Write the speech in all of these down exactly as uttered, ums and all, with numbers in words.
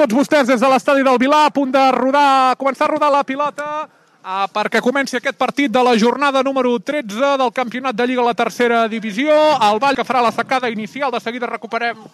tots vostès des de l'estadi del Vilar, a punt de rodar, començar a rodar la pilota uh, perquè comenci aquest partit de la jornada número tretze del campionat de Lliga a la tercera divisió. El Vall que farà la secada inicial, de seguida recuperem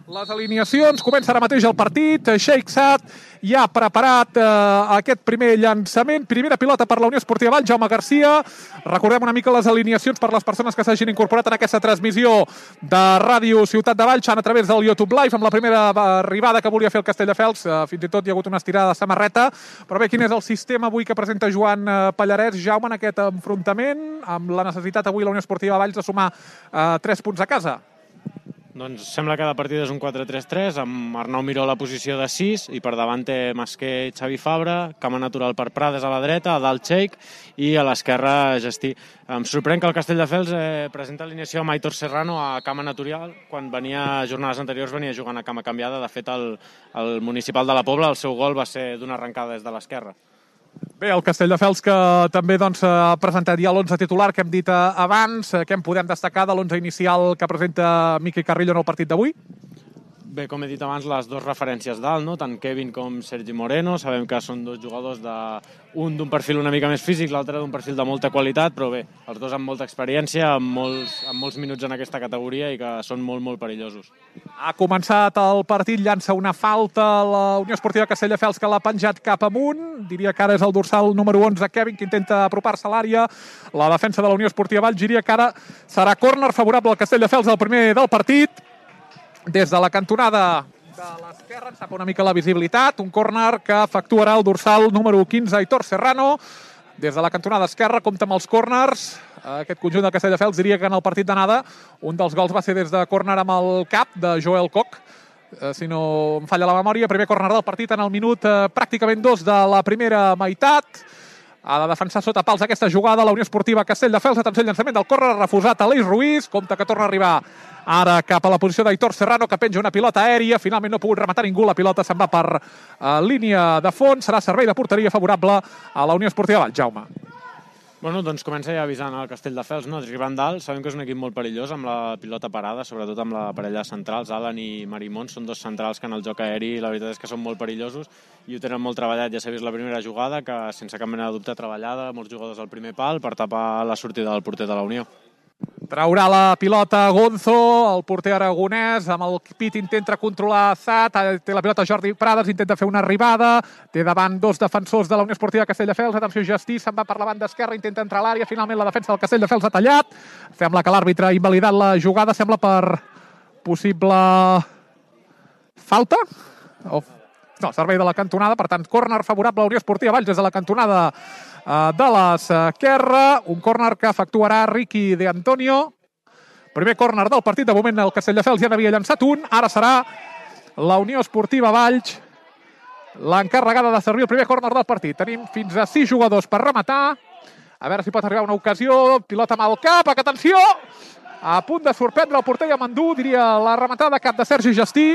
les alineacions. Comença ara mateix el partit. Sheikh Saad ja ha preparat uh, aquest primer llançament. Primera pilota per la Unió Esportiva Vall, Jaume Garcia. Recordem una mica les alineacions per les persones que s'hagin incorporat en aquesta transmissió de Ràdio Ciutat de Valls, a través del YouTube Live, amb la primera arribada que volia fer el Castelldefels. Uh, fins i tot hi ha hagut una estirada de samarreta. Però bé, quin és el sistema avui que presenta Joan uh, Pallarès, Jaume, en aquest enfrontament, amb la necessitat avui la Unió Esportiva Valls de sumar uh, tres punts a casa? Doncs sembla que la partida és un quatre tres tres, amb Arnau Miró a la posició de sis, i per davant té Masquer i Xavi Fabra, cama natural per Prades a la dreta, a dalt Sheikh, i a l'esquerra Gestí. Em sorprèn que el Castelldefels eh, presenta alineació amb Aitor Serrano a cama natural, quan venia jornades anteriors venia jugant a cama canviada. De fet, el, el municipal de la Pobla, el seu gol va ser d'una arrencada des de l'esquerra. Bé, el Castelldefels que també doncs, ha presentat ja l'onze titular que hem dit abans. Què en podem destacar de l'onze inicial que presenta Miqui Carrillo en el partit d'avui? Bé, com he dit abans, les dues referències dalt, no? Tant Kevin com Sergi Moreno. Sabem que són dos jugadors, de... un d'un perfil una mica més físic, l'altre d'un perfil de molta qualitat, però bé, els dos amb molta experiència, amb molts, amb molts minuts en aquesta categoria i que són molt, molt perillosos. Ha començat el partit, llança una falta a la Unió Esportiva Castelldefels, que l'ha penjat cap amunt. Diria que ara és el dorsal número onze, Kevin, que intenta apropar-se a l'àrea. La defensa de la Unió Esportiva Valls, diria que ara serà córner favorable al Castelldefels, el primer del partit. Des de la cantonada de l'esquerra ens tapa una mica la visibilitat. Un córner que efectuarà el dorsal número quinze, Aitor Serrano. Des de la cantonada esquerra compta amb els córners. Aquest conjunt del Castelldefels, diria que en el partit d'anada un dels gols va ser des de córner amb el cap de Joel Koch, si no em falla la memòria. Primer córner del partit en el minut eh, pràcticament dos de la primera meitat. Ha de defensar sota pals aquesta jugada la Unió Esportiva Castelldefels. Atenció al llançament del córner, refusat a l'Eix Ruiz. Compte que torna a arribar ara cap a la posició d'Aitor Serrano, que penja una pilota aèria. Finalment no ha pogut rematar ningú. La pilota se'n va per uh, línia de fons. Serà servei de porteria favorable a la Unió Esportiva Valls. Jaume. Bueno, doncs comença ja avisant el Castelldefels, no? Arribant dalt, sabem que és un equip molt perillós amb la pilota parada, sobretot amb la parella de centrals, Alan i Marimón. Són dos centrals que en el joc aeri la veritat és que són molt perillosos i ho tenen molt treballat. Ja s'ha vist la primera jugada, que sense cap mena de dubte treballada, molts jugadors al primer pal per tapar la sortida del porter de la Unió. Traurà la pilota Gonzo, el porter aragonès, amb el pit intenta controlar Saad, té la pilota Jordi Prades, intenta fer una arribada, té davant dos defensors de la Unió Esportiva Castelldefels. Atenció, Gestí se'n va per la banda esquerra, intenta entrar a l'àrea, finalment la defensa del Castelldefels ha tallat. Sembla que l'àrbitre ha invalidat la jugada, sembla per possible falta? O... No, servei de la cantonada, per tant, córner favorable a la Unió Esportiva Valls des de la cantonada de l'esquerra. Un córner que efectuarà Ricky De Antonio. Primer córner del partit. De moment el Castelldefels ja n'havia llançat un. Ara serà la Unió Esportiva Valls l'encarregada de servir el primer córner del partit. Tenim fins a sis jugadors per rematar. A veure si pot arribar una ocasió. Pilota amb el cap. Atenció! A punt de sorprendre el porter Yamandú. Diria la rematada cap de Sergi Gestí.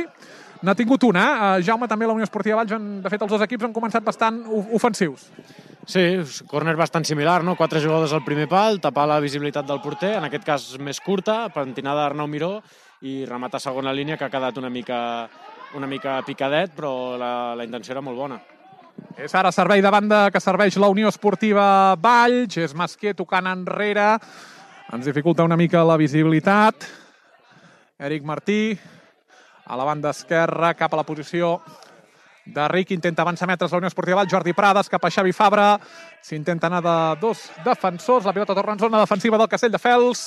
N'ha tingut una. Eh? Jaume, també la Unió Esportiva Valls, han, de fet els dos equips han començat bastant ofensius. Sí, córner bastant similar, no? Quatre jugadors al primer pal, tapar la visibilitat del porter, en aquest cas més curta, pentinada d'Arnau Miró, i remata a segona línia, que ha quedat una mica, una mica picadet, però la, la intenció era molt bona. És ara servei de banda que serveix la Unió Esportiva Valls, és Masquer tocant enrere, ens dificulta una mica la visibilitat. Eric Martí, a la banda esquerra, cap a la posició de Ric, intenta avançar metres la Unió Esportiva Valls, Jordi Prades cap a Xavi Fabra, s'intenta anar de dos defensors, la pilota torna en zona defensiva del Castelldefels,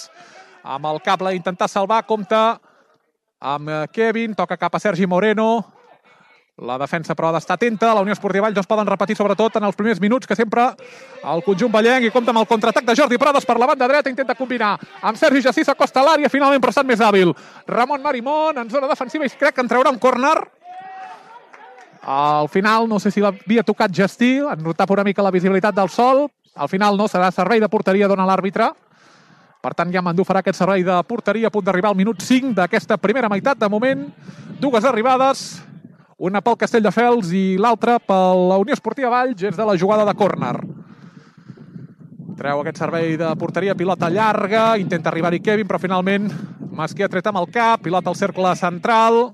amb el cap la intentar salvar, compta amb Kevin, toca cap a Sergi Moreno, la defensa però ha d'estar atenta, la Unió Esportiva Valls no es poden repetir sobretot en els primers minuts, que sempre el conjunt vallenc, i compta amb el contraatac de Jordi Prades per la banda dreta, intenta combinar amb Sergi Gestí, s'acosta a l'àrea, finalment però ha estat més hàbil Ramon Marimón en zona defensiva i crec que en traurà un córner. Al final no sé si l'havia tocat Gestí, en notava una mica la visibilitat del sol, al final no, serà servei de porteria, dona l'àrbitre. Per tant, Yamandú farà aquest servei de porteria a punt d'arribar al minut cinc d'aquesta primera meitat. De moment, dues arribades, una pel Castelldefels i l'altra per la Unió Esportiva Valls, és de la jugada de córner. Treu aquest servei de porteria, pilota llarga, intenta arribar-hi Kevin, però finalment Masquer ha tret amb el cap, pilota al cercle central.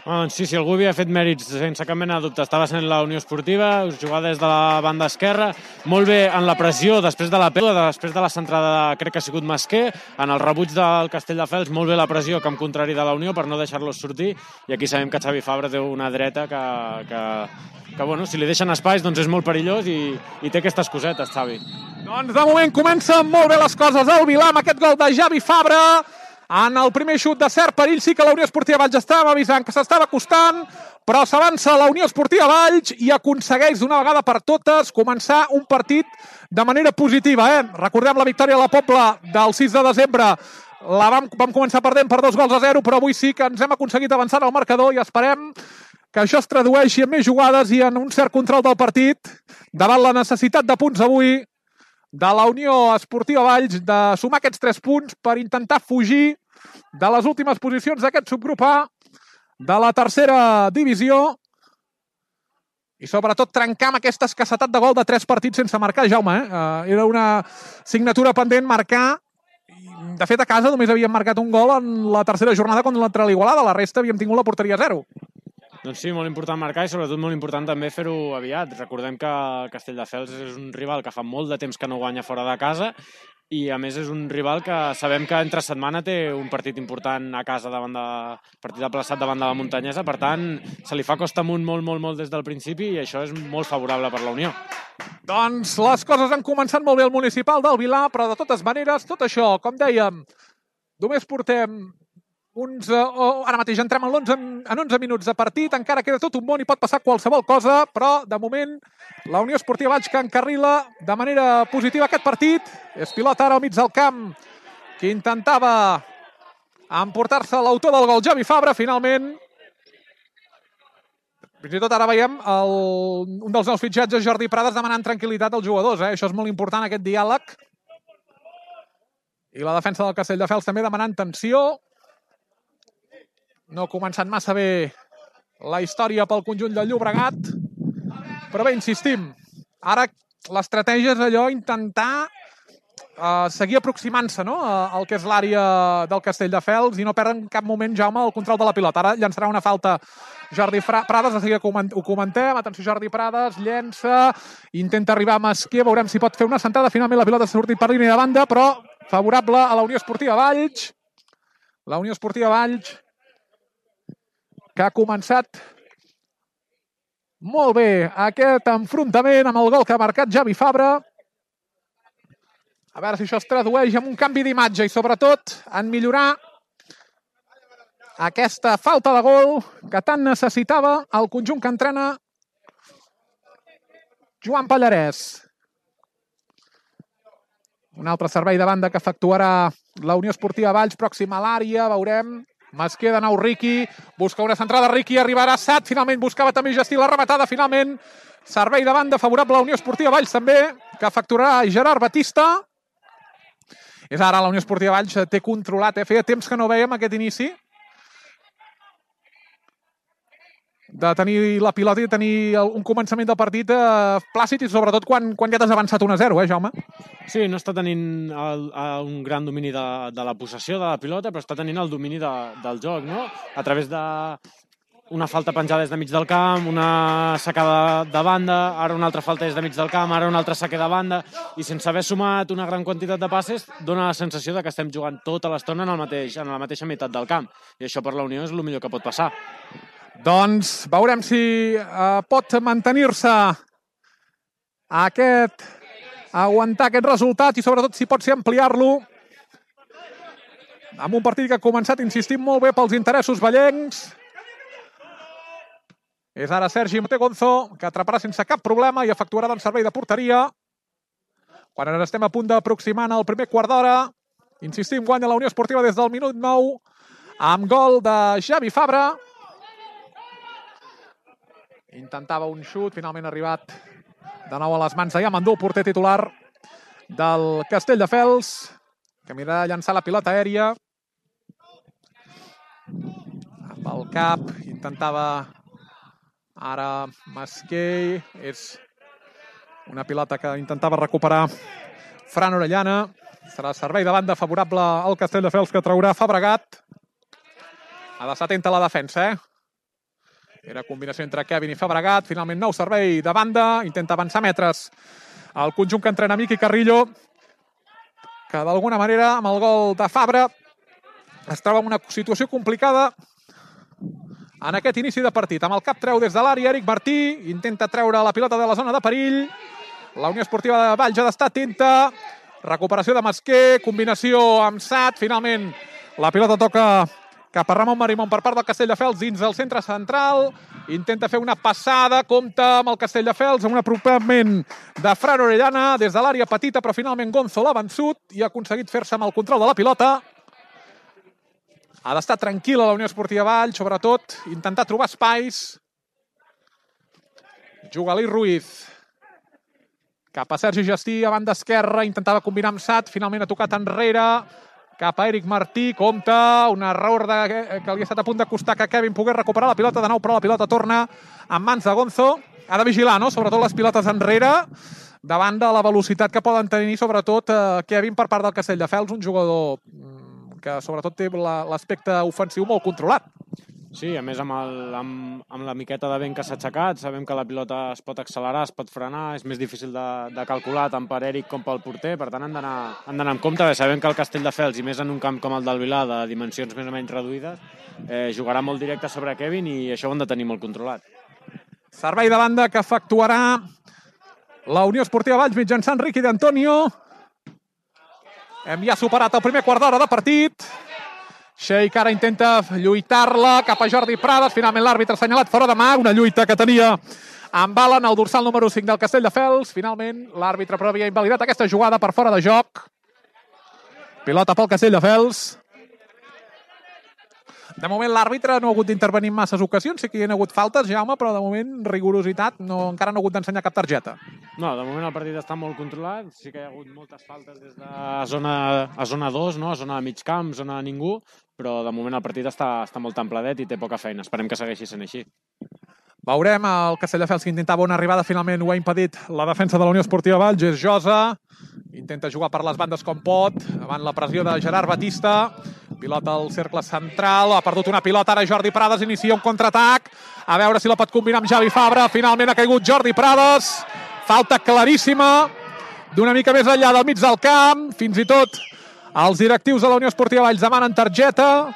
Doncs sí, si algú havia fet mèrits sense cap mena de dubte, estava sent la Unió Esportiva, jugar des de la banda esquerra, molt bé en la pressió després de la pèrdua, després de la centrada crec que ha sigut Masquer, en el rebuig del Castelldefels, molt bé la pressió camp contrari de la Unió per no deixar-los sortir, i aquí sabem que Xavi Fabra té una dreta que, que, que bueno, si li deixen espais doncs és molt perillós i, i té aquestes cosetes, Xavi. Doncs de moment comencen molt bé les coses al Vilà amb aquest gol de Xavi Fabra. En el primer xut de cert perill sí que la Unió Esportiva Valls estava avisant que s'estava acostant, però s'avança la Unió Esportiva Valls i aconsegueix d'una vegada per totes començar un partit de manera positiva. Eh? Recordem la victòria a la Pobla del sis de desembre. La vam, vam començar perdent per dos gols a zero, però avui sí que ens hem aconseguit avançar al marcador i esperem que això es tradueixi en més jugades i en un cert control del partit davant la necessitat de punts avui de la Unió Esportiva Valls de sumar aquests tres punts per intentar fugir de les últimes posicions d'aquest subgrup A de la tercera divisió i sobretot trencar amb aquesta escassetat de gol de tres partits sense marcar, Jaume. Eh? Uh, era una signatura pendent marcar. De fet, a casa només havíem marcat un gol en la tercera jornada contra l'Igualada. La resta havíem tingut la porteria a zero. Doncs sí, molt important marcar i sobretot molt important també fer-ho aviat. Recordem que Castelldefels és un rival que fa molt de temps que no guanya fora de casa i a més és un rival que sabem que entre setmana té un partit important a casa davant de partit aplaçat davant de la Muntanyesa, per tant se li fa costa amunt molt, molt, molt des del principi i això és molt favorable per la Unió. Doncs les coses han començat molt bé al municipal del Vilà, però de totes maneres, tot això, com dèiem, només portem uns, oh, ara mateix entrem en, onze, en onze minuts de partit, encara queda tot un món i pot passar qualsevol cosa, però de moment la Unió Esportiva Valls que encarrila de manera positiva aquest partit. És pilota ara al mig del camp que intentava emportar-se l'autor del gol, Xavi Fabra, finalment. Fins i tot ara veiem el, un dels nous fitxatges, Jordi Prades, demanant tranquil·litat als jugadors. Eh? Això és molt important, aquest diàleg. I la defensa del Castelldefels també demanant tensió. No ha començat massa bé la història pel conjunt del Llobregat, però bé, insistim, ara l'estratègia és allò, intentar uh, seguir aproximant-se, no?, al que és l'àrea del Castelldefels i no perdre en cap moment, Jaume, el control de la pilota. Ara llançarà una falta Jordi Prades, de seguida ho comentem, atenció Jordi Prades, llença, intenta arribar a Masquer, veurem si pot fer una centrada, finalment la pilota s'ha sortit per línia de banda, però favorable a la Unió Esportiva Valls. La Unió Esportiva Valls que ha començat molt bé aquest enfrontament amb el gol que ha marcat Xavi Fabra. A veure si això es tradueix en un canvi d'imatge i sobretot en millorar aquesta falta de gol que tant necessitava el conjunt que entrena Joan Pallarès. Un altre servei de banda que efectuarà la Unió Esportiva Valls, pròxima a l'àrea, veurem. Masquer de nou, Riqui, busca una centrada, Riqui, arribarà Sat, finalment buscava també Gestí la rematada, finalment servei de banda favorable a la Unió Esportiva Valls també, que efectuarà Gerard Batista. És ara la Unió Esportiva Valls té controlat, eh? Feia temps que no veiem aquest inici de tenir la pilota i de tenir un començament del partit eh, plàcid i sobretot quan, quan ja t'has avançat un a zero, eh, Jaume? Sí, no està tenint el, el, un gran domini de, de la possessió de la pilota, però està tenint el domini de, del joc, no? A través de una falta penjada des de mig del camp, una sacada de banda, ara una altra falta des de mig del camp, ara una altra saque de banda, i sense haver sumat una gran quantitat de passes, dona la sensació de que estem jugant tota l'estona en, el mateix, en la mateixa meitat del camp. I això per la Unió és el millor que pot passar. Doncs veurem si eh, pot mantenir-se aquest, aguantar aquest resultat i sobretot si pot ser ampliar-lo amb un partit que ha començat, insistim, molt bé pels interessos vallencs. És ara Sergi Montegonzo, que atraparà sense cap problema i efectuarà el servei de porteria. Quan ara estem a punt d'aproximar el primer quart d'hora, insistim, guanya la Unió Esportiva des del minut nou amb gol de Xavi Fabra. Intentava un xut, finalment ha arribat de nou a les mans de Yamandú, porter titular del Castelldefels, que mira de llançar la pilota aèria. Amb el cap, intentava ara Masquer. És una pilota que intentava recuperar Fran Orellana. Serà servei de banda favorable al Castelldefels, que traurà Fabregat. Ha d'estar atenta a la defensa, eh? Era combinació entre Kevin i Fabregat. Finalment nou servei de banda. Intenta avançar metres el conjunt que entrena Miqui Carrillo, que d'alguna manera amb el gol de Fabra es troba en una situació complicada en aquest inici de partit. Amb el cap treu des de l'àrea Eric Martí. Intenta treure la pilota de la zona de perill. La Unió Esportiva de Valls ha d'estar atenta. Recuperació de Masquer. Combinació amb Sat. Finalment la pilota toca cap a Ramon Marimón per part del Castelldefels dins del centre central. Intenta fer una passada, compta amb el Castelldefels, amb un apropament de Fran Orellana des de l'àrea petita, però finalment Gonzo l'ha vençut i ha aconseguit fer-se amb el control de la pilota. Ha d'estar tranquil·la la Unió Esportiva Valls, sobretot intentar trobar espais. Juga Aleix Ruiz. Cap a Sergi Gestí, a banda esquerra, intentava combinar amb Sat, finalment ha tocat enrere. Cap a Eric Martí, compta, un error de, que li ha estat a punt de costar que Kevin pogués recuperar la pilota de nou, però la pilota torna en mans de Gonzo. Ha de vigilar, no?, sobretot les pilotes enrere, davant de la velocitat que poden tenir, sobretot, eh, Kevin per part del Castelldefels, un jugador que sobretot té l'aspecte ofensiu molt controlat. Sí, a més amb, el, amb, amb la miqueta de vent que s'ha aixecat, sabem que la pilota es pot accelerar, es pot frenar, és més difícil de, de calcular tant per Eric com pel porter, per tant han d'anar amb compte. Sabem que el Castelldefels, i més en un camp com el del Vilar, de dimensions més o menys reduïdes, eh, jugarà molt directe sobre Kevin i això ho han de tenir molt controlat. Servei de banda que efectuarà la Unió Esportiva Valls mitjançant Riqui d'Antonio. Hem ja superat el primer quart d'hora de partit. Sheik ara intenta lluitar-la cap a Jordi Prades. Finalment l'àrbitre ha assenyalat fora de mà. Una lluita que tenia amb bala en el dorsal número cinc del Castelldefels. Finalment l'àrbitre però havia invalidat aquesta jugada per fora de joc. Pilota pel Castelldefels. De moment l'àrbitre no ha hagut d'intervenir en masses ocasions. Sí que hi ha hagut faltes, Jaume, però de moment rigorositat. No, encara no ha hagut d'ensenyar cap targeta. No, de moment el partit està molt controlat. Sí que hi ha hagut moltes faltes des de zona, a zona dos, no? A zona de mig camp, zona de ningú, però de moment el partit està, està molt templedet i té poca feina. Esperem que segueixi sent així. Veurem el Castelldefels que intentava una arribada, finalment ho ha impedit la defensa de la Unió Esportiva Valls. És Josa, intenta jugar per les bandes com pot, davant la pressió de Gerard Batista. Pilota al cercle central, ha perdut una pilota, ara Jordi Prades inicia un contraatac, a veure si la pot combinar amb Javi Fabra. Finalment ha caigut Jordi Prades, falta claríssima, d'una mica més enllà del mig del camp, fins i tot els directius de la Unió Esportiva Valls demanen targeta.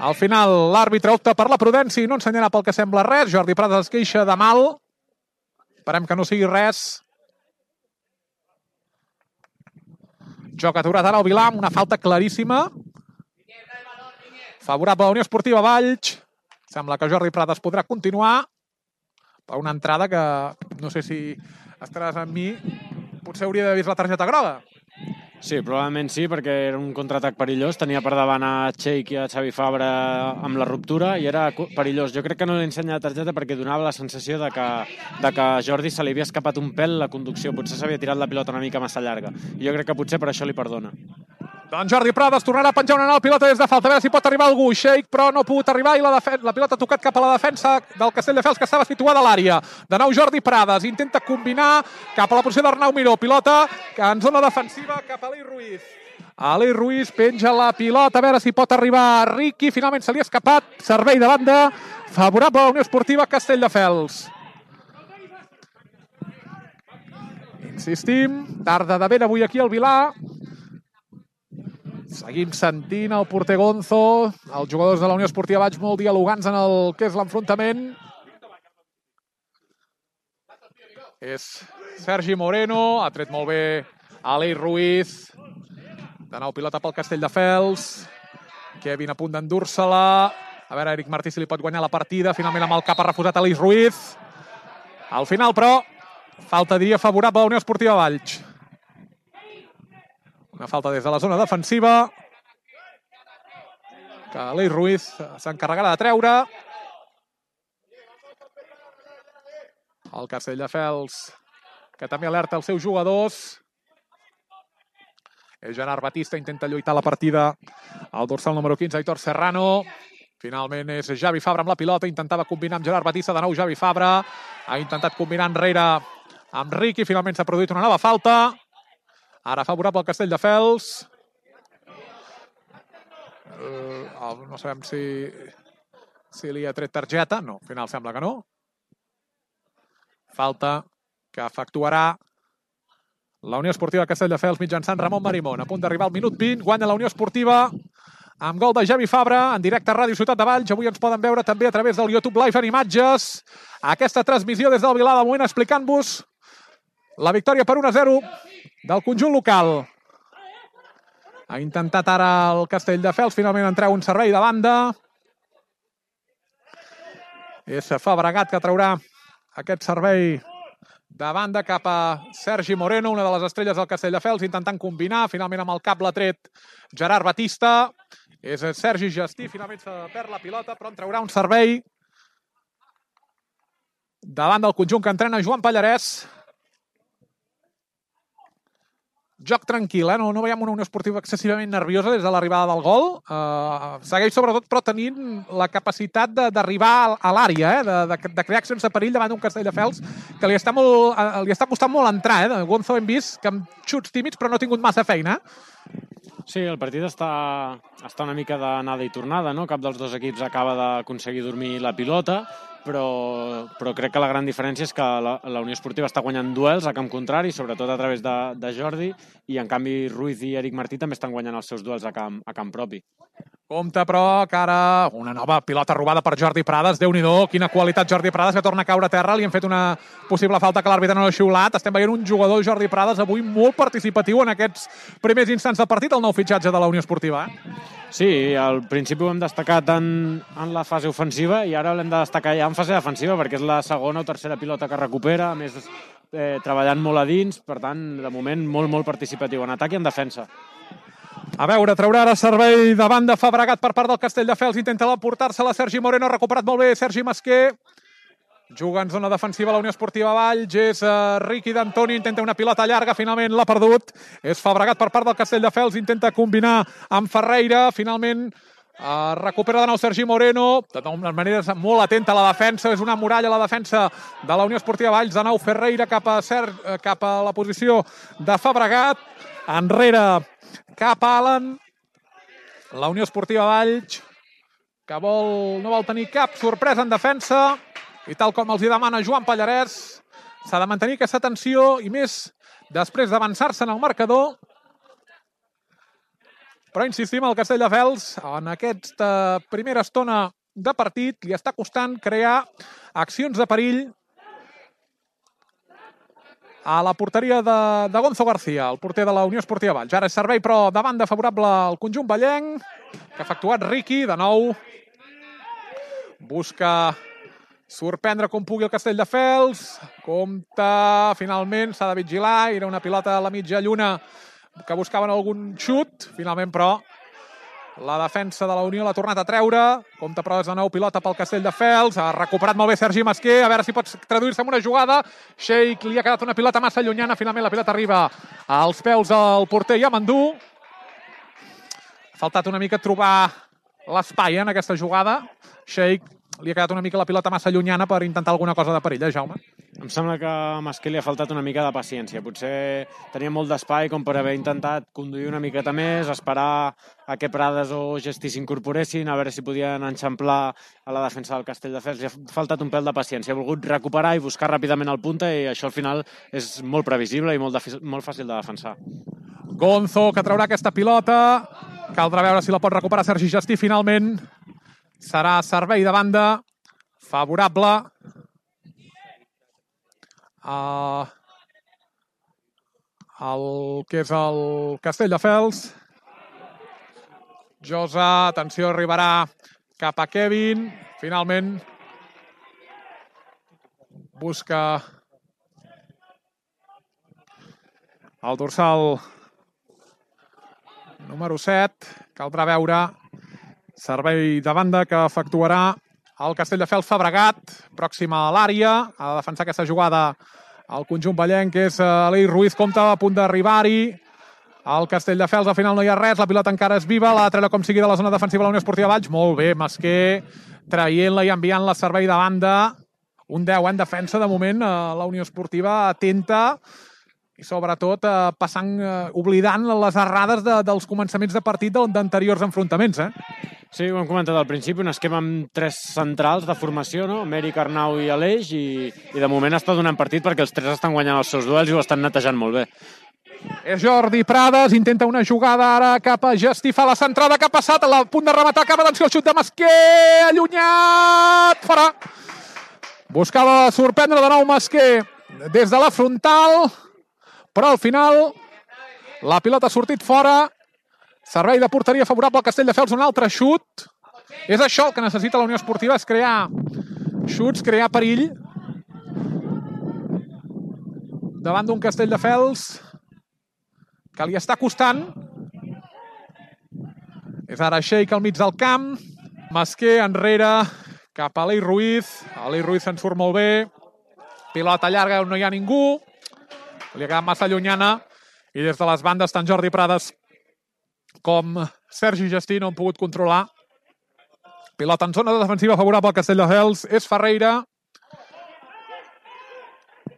Al final l'àrbitre opta per la prudència i no ensenyarà pel que sembla res. Jordi Prades es queixa de mal, esperem que no sigui res. Joc aturat ara al Vilar amb una falta claríssima. Favorable a la Unió Esportiva Valls. Sembla que Jordi Prades podrà continuar per una entrada que, no sé si estaràs amb mi, potser hauria d'haver vist la targeta groga. Sí, probablement sí, perquè era un contraatac perillós. Tenia per davant a Sheik i a Xavi Fabra amb la ruptura i era perillós. Jo crec que no li ensenya la targeta perquè donava la sensació de que, de que a Jordi se li havia escapat un pèl la conducció. Potser s'havia tirat la pilota una mica massa llarga. I jo crec que potser per això li perdona. Doncs Jordi Prades tornarà a penjar una nova pilota des de falta. A veure si pot arribar algú. Sheik, però no ha pogut arribar i la, la pilota ha tocat cap a la defensa del Castelldefels, que estava situada a l'àrea. De nou Jordi Prades intenta combinar cap a la posició d'Arnau Miró. Pilota que en zona defensiva cap a Aleix Ruiz. Aleix Ruiz penja la pilota, a veure si pot arribar a Riqui. Finalment se li ha escapat. Servei de banda favorable a la Unió Esportiva Castelldefels. Insistim, tarda de vent avui aquí al Vilar. Seguim sentint el porter Gonzo, els jugadors de la Unió Esportiva Valls molt dialogants en el que és l'enfrontament. És Sergi Moreno, ha tret molt bé Aleix Ruiz. De nou pilota pel Castelldefels. Kevin a punt d'endur-se-la. A veure, Eric Martí si li pot guanyar la partida. Finalment amb el cap ha refusat Aleix Ruiz. Al final, però, falta, diria, favorable a la Unió Esportiva Valls. Una falta des de la zona defensiva que Aleix Ruiz s'encarregarà de treure. El Castelldefels, que també alerta els seus jugadors. Gerard Batista intenta lluitar la partida al dorsal número quinze, Aitor Serrano. Finalment és Javi Fabra amb la pilota, intentava combinar amb Gerard Batista, de nou Javi Fabra. Ha intentat combinar enrere amb Riqui, finalment s'ha produït una nova falta. Ara favorable al Castelldefels. Uh, no sabem si, si li ha tret targeta. No, al final sembla que no. Falta que efectuarà la Unió Esportiva Castelldefels mitjançant Ramon Marimón. A punt d'arribar al minut vint, guanya la Unió Esportiva amb gol de Javi Fabra, en directe a Ràdio Ciutat de Valls. Avui ens poden veure també a través del YouTube Live en imatges. Aquesta transmissió des del Vilar, de moment explicant-vos la victòria per un a zero del conjunt local. Ha intentat ara el Castelldefels finalment entrar un servei de banda. És Fabregat que traurà aquest servei de banda cap a Sergi Moreno, una de les estrelles del Castelldefels, intentant combinar. Finalment amb el cap l'ha tret Gerard Batista. És Sergi Gestí, finalment se perd la pilota, però en traurà un servei davant del conjunt que entrena Joan Pallarès. Joc tranquil, eh? No, no veiem una Unió Esportiva excessivament nerviosa des de l'arribada del gol. Uh, segueix sobretot, però tenint la capacitat d'arribar a l'àrea, eh? de, de, de crear accions de perill davant d'un Castelldefels que li està, molt, uh, li està costant molt entrar. Eh? Gonzo hem vist que amb xuts tímids, però no ha tingut massa feina. Sí, el partit està, està una mica d'anada i tornada, no? Cap dels dos equips acaba d'aconseguir dormir la pilota, però, però crec que la gran diferència és que la, la Unió Esportiva està guanyant duels a camp contrari, sobretot a través de, de Jordi, i en canvi Ruiz i Eric Martí també estan guanyant els seus duels a camp, a camp propi. Compte, però, que ara una nova pilota robada per Jordi Prades. Déu-n'hi-do, quina qualitat Jordi Prades, que torna a caure a terra. Li han fet una possible falta que l'àrbitre no l'ha xiulat. Estem veient un jugador, Jordi Prades, avui molt participatiu en aquests primers instants del partit, el nou fitxatge de la Unió Esportiva. Eh? Sí, al principi ho hem destacat en, en la fase ofensiva i ara l'hem de destacar ja en fase defensiva, perquè és la segona o tercera pilota que recupera, a més eh, treballant molt a dins, per tant, de moment, molt, molt participatiu en atac i en defensa. A veure, traurà ara servei de banda Fabregat per part del Castelldefels. Intenta portar-se la Sergi Moreno. Ha recuperat molt bé Sergi Masquer. Juga en zona defensiva la Unió Esportiva Valls. És uh, Riqui d'Antoni. Intenta una pilota llarga. Finalment l'ha perdut. És Fabregat per part del Castelldefels. Intenta combinar amb Ferreira. Finalment uh, recupera de nou Sergi Moreno. De totes maneres, molt atenta a la defensa. És una muralla a la defensa de la Unió Esportiva Valls. De nou Ferreira cap a, Ser... cap a la posició de Fabregat. Enrere cap a Alan, la Unió Esportiva Valls, que vol, no vol tenir cap sorpresa en defensa, i tal com els hi demana Joan Pallarès, s'ha de mantenir aquesta tensió, i més després d'avançar-se en el marcador. Però insistim, el Castelldefels, en aquesta primera estona de partit, li està costant crear accions de perill a la porteria de, de Gonzo García, el porter de la Unió Esportiva Valls. Ara és servei, però de banda favorable al conjunt vallenc, que ha efectuat Riqui, de nou. Busca sorprendre com pugui el Castelldefels. Compte, finalment, s'ha de vigilar. Era una pilota a la mitja lluna que buscaven algun xut. Finalment, però, la defensa de la Unió l'ha tornat a treure. Compte, però, és de nou pilota pel Castelldefels. Ha recuperat molt bé Sergi Masquer. A veure si pot traduir-se en una jugada. Sheik li ha quedat una pilota massa llunyana. Finalment la pilota arriba als peus del porter Yamandú. Ha faltat una mica trobar l'espai en aquesta jugada. Sheik li ha quedat una mica la pilota massa llunyana per intentar alguna cosa de perill, eh, Jaume? Em sembla que a Masquer li ha faltat una mica de paciència. Potser tenia molt d'espai com per haver intentat conduir una miqueta més, esperar a que Prades o Gestí s'incorporessin, a veure si podien enxamplar a la defensa del Castelldefels. Li ha faltat un pèl de paciència. Ha volgut recuperar i buscar ràpidament el punta, i això al final és molt previsible i molt, de, molt fàcil de defensar. Gonzo, que traurà aquesta pilota. Caldrà veure si la pot recuperar Sergi Gestí. Finalment serà servei de banda favorable a el que és el Castelldefels. Josa, atenció, arribarà cap a Kevin. Finalment busca el dorsal número set. Caldrà veure servei de banda que efectuarà el Castelldefels. Fabregat, pròxima a l'àrea. Ha de defensar aquesta jugada el conjunt vallenc, que és Aleix Ruiz. Compte, a punt d'arribar-hi. El Castelldefels, al final no hi ha res. La pilota encara és viva. L'ha de treure com sigui de la zona defensiva de la Unió Esportiva Valls. Molt bé, Masquer traient-la i enviant-la a servei de banda. Un deu en defensa, de moment, la Unió Esportiva atenta i sobretot eh, passant, eh, oblidant les errades de, dels començaments de partit d'anteriors enfrontaments. Eh? Sí, ho hem comentat al principi, un esquema amb tres centrals de formació, no? Mèric, Arnau i Aleix, i, i de moment està donant partit perquè els tres estan guanyant els seus duels i ho estan netejant molt bé. És Jordi Prades, intenta una jugada ara cap a Gestí, fa la centrada que ha passat, a la punt de rematar, acaba d'atenció el xut de Masquer, allunyat, fora. Buscava sorprendre de nou Masquer des de la frontal, però al final la pilota ha sortit fora. Servei de porteria favorable al Castelldefels, un altre xut. És això el que necessita la Unió Esportiva, és crear xuts, crear perill davant d'un Castelldefels que li està costant. És ara Sheik al mig del camp. Masquer enrere cap a Aleix Ruiz. Aleix Ruiz se'n surt molt bé. Pilota llarga on no hi ha ningú. Li ha quedat massa llunyana. I des de les bandes tant Jordi Prades com Sergi Gestí no han pogut controlar. Pilota en zona defensiva favorable al Castelldefels. És Ferreira.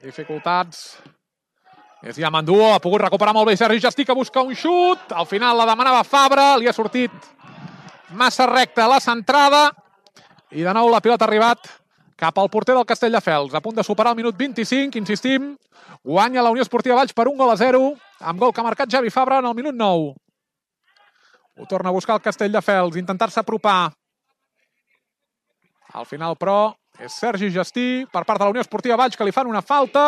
Dificultats. És Yamandú. Ha pogut recuperar molt bé Sergi Gestí, que busca un xut. Al final la demanava Fabra. Li ha sortit massa recta la centrada. I de nou la pilota ha arribat cap al porter del Castelldefels. A punt de superar el minut vint-i-cinc. Insistim. Guanya la Unió Esportiva Valls per un gol a zero. Amb gol que ha marcat Javi Fabra en el minut nou. Ho torna a buscar el Castelldefels, intentar-se apropar. Al final, però, és Sergi Gestí per part de la Unió Esportiva Valls, que li fan una falta.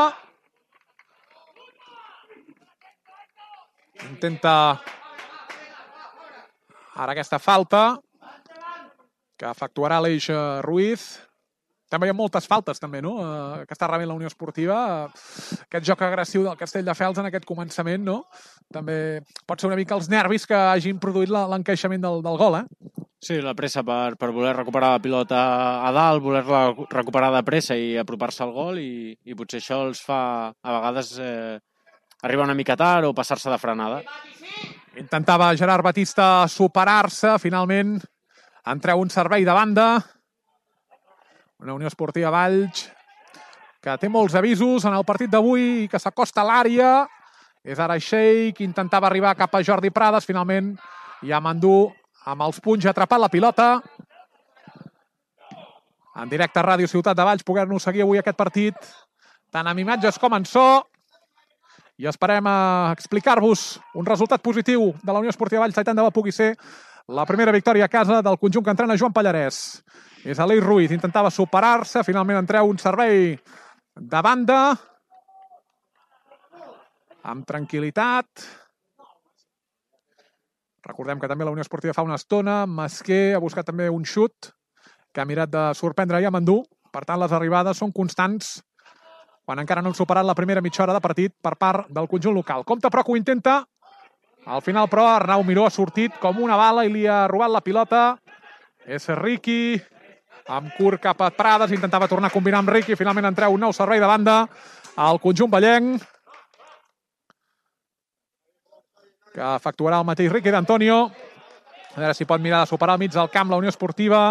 Intenta ara aquesta falta que efectuarà Aleix Ruiz. També hi ha moltes faltes, també, no?, que està rebent la Unió Esportiva. Aquest joc agressiu del Castelldefels en aquest començament, no?, també pot ser una mica els nervis que hagin produït l'encaixament del, del gol, eh? Sí, la pressa per, per voler recuperar la pilota a dalt, voler-la recuperar de pressa i apropar-se al gol, i, i potser això els fa, a vegades, eh, arribar una mica tard o passar-se de frenada. Intentava Gerard Batista superar-se, finalment en treu un servei de banda. Una Unió Esportiva Valls que té molts avisos en el partit d'avui i que s'acosta a l'àrea. És ara Sheik, intentava arribar cap a Jordi Prades, finalment Yamandú amb els punys ha atrapat la pilota. En directe a Ràdio Ciutat de Valls, poder-nos seguir avui aquest partit, tant amb imatges com en so. I esperem a explicar-vos un resultat positiu de la Unió Esportiva Valls, tant de bo pugui ser la primera victòria a casa del conjunt que entrena Joan Pallarès. És Aleix Ruiz, intentava superar-se, finalment en treu un servei de banda. Amb tranquil·litat. Recordem que també la Unió Esportiva fa una estona. Masquer ha buscat també un xut que ha mirat de sorprendre Yamandú. Per tant, les arribades són constants quan encara no han superat la primera mitja hora de partit per part del conjunt local. Compte, però, que ho intenta. Al final, però, Arnau Miró ha sortit com una bala i li ha robat la pilota. És Riqui, amb curt cap a Prades, intentava tornar a combinar amb Riqui, finalment en treu un nou servei de banda al conjunt vallenc, que efectuarà el mateix Riqui d'Antonio. A veure si pot mirar de superar al mig del camp la Unió Esportiva.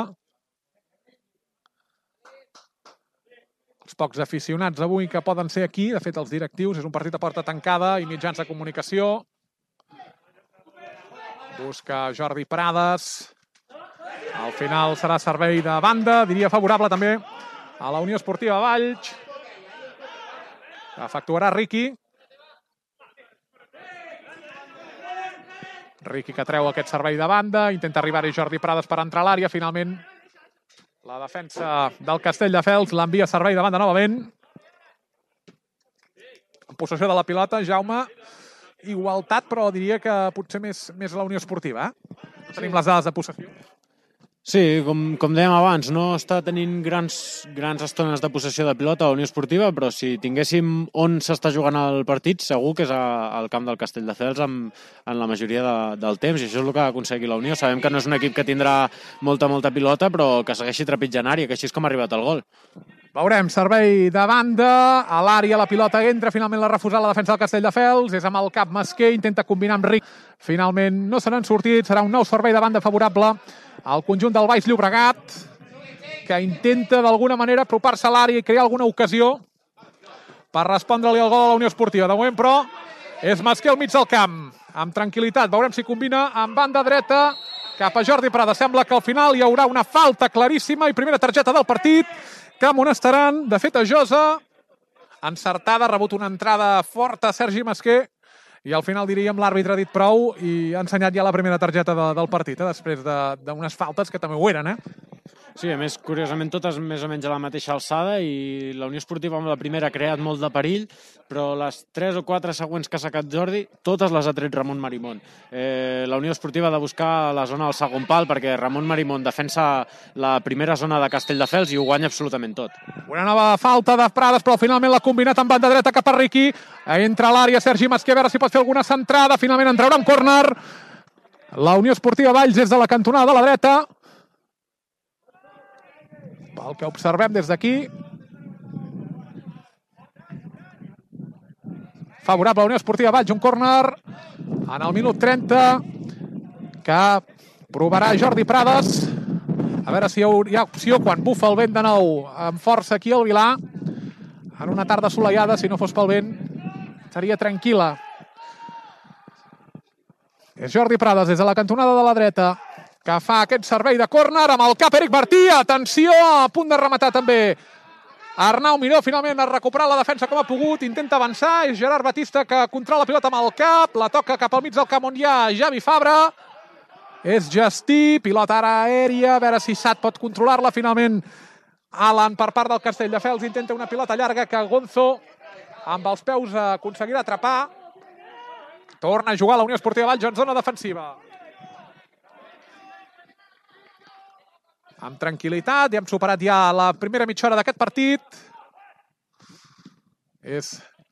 Els pocs aficionats avui que poden ser aquí, de fet els directius, és un partit a porta tancada i mitjans de comunicació. Busca Jordi Prades. Al final serà servei de banda, diria favorable també a la Unió Esportiva Valls. Efectuarà Riqui. Riqui que treu aquest servei de banda, intenta arribar-hi Jordi Prades per entrar a l'àrea, finalment la defensa del Castelldefels l'envia a servei de banda novament. En possessió de la pilota, Jaume, igualtat, però diria que potser més, més la Unió Esportiva, eh? Tenim les dades de possessió. Sí, com, com dèiem abans, no està tenint grans, grans estones de possessió de pilota a la Unió Esportiva, però si tinguéssim on s'està jugant el partit, segur que és a, al camp del Castelldefels amb, en la majoria de, del temps, i això és el que ha aconseguit la Unió. Sabem que no és un equip que tindrà molta, molta pilota, però que segueixi trepitjant àrea, que així és com ha arribat el gol. Veurem, servei de banda, a l'àrea la pilota entra, finalment l'ha refusat la defensa del Castelldefels, és amb el cap Masquer, intenta combinar amb Ric, finalment no se n'han sortit, serà un nou servei de banda favorable al conjunt del Baix Llobregat, que intenta d'alguna manera apropar-se a l'àrea i crear alguna ocasió per respondre-li al gol a la Unió Esportiva. De moment, però, és Masquer al mig del camp, amb tranquil·litat. Veurem si combina amb banda dreta. cap a Jordi Prades. Sembla que al final hi haurà una falta claríssima i primera targeta del partit que amonestaran. De fet, a Josa, encertada, ha rebut una entrada forta a Sergi Masquer i al final, diríem, l'àrbitre ha dit prou i ha ensenyat ja la primera targeta de, del partit, eh, després d'unes faltes que també ho eren, eh? Sí, a més, curiosament, totes més o menys a la mateixa alçada i la Unió Esportiva amb la primera ha creat molt de perill, però les tres o quatre següents que ha sacat Jordi, totes les ha tret Ramon Marimón. Eh, la Unió Esportiva ha de buscar la zona del segon pal perquè Ramon Marimón defensa la primera zona de Castelldefels i ho guanya absolutament tot. Una nova falta de Prades, però finalment l'ha combinat amb banda dreta cap a Riqui. Entra a l'àrea Sergi Masquer, a veure si pot fer alguna centrada. Finalment en traurà un córner. La Unió Esportiva Valls des de la cantonada de la dreta. Pel que observem des d'aquí, favorable a la Unió Esportiva Valls, un córner en el minut trenta que provarà Jordi Prades. A veure si hi ha opció quan bufa el vent de nou amb força aquí al Vilà. En una tarda assolellada, si no fos pel vent, seria tranquil·la. És Jordi Prades des de la cantonada de la dreta que fa aquest servei de córner amb el cap Eric Martí. Atenció, a punt de rematar també Arnau Miró. Finalment ha recuperat la defensa com ha pogut, intenta avançar. És Gerard Batista que controla la pilota amb el cap, la toca cap al mig del camp on hi ha Javi Fabra. És Justí, pilota ara aèria, a veure si Sat pot controlar-la. Finalment Alan per part del Castelldefels intenta una pilota llarga que Gonzo amb els peus aconseguirà atrapar. Torna a jugar la Unió Esportiva Valls en zona defensiva. Amb tranquil·litat, ja hem superat ja la primera mitja hora d'aquest partit. És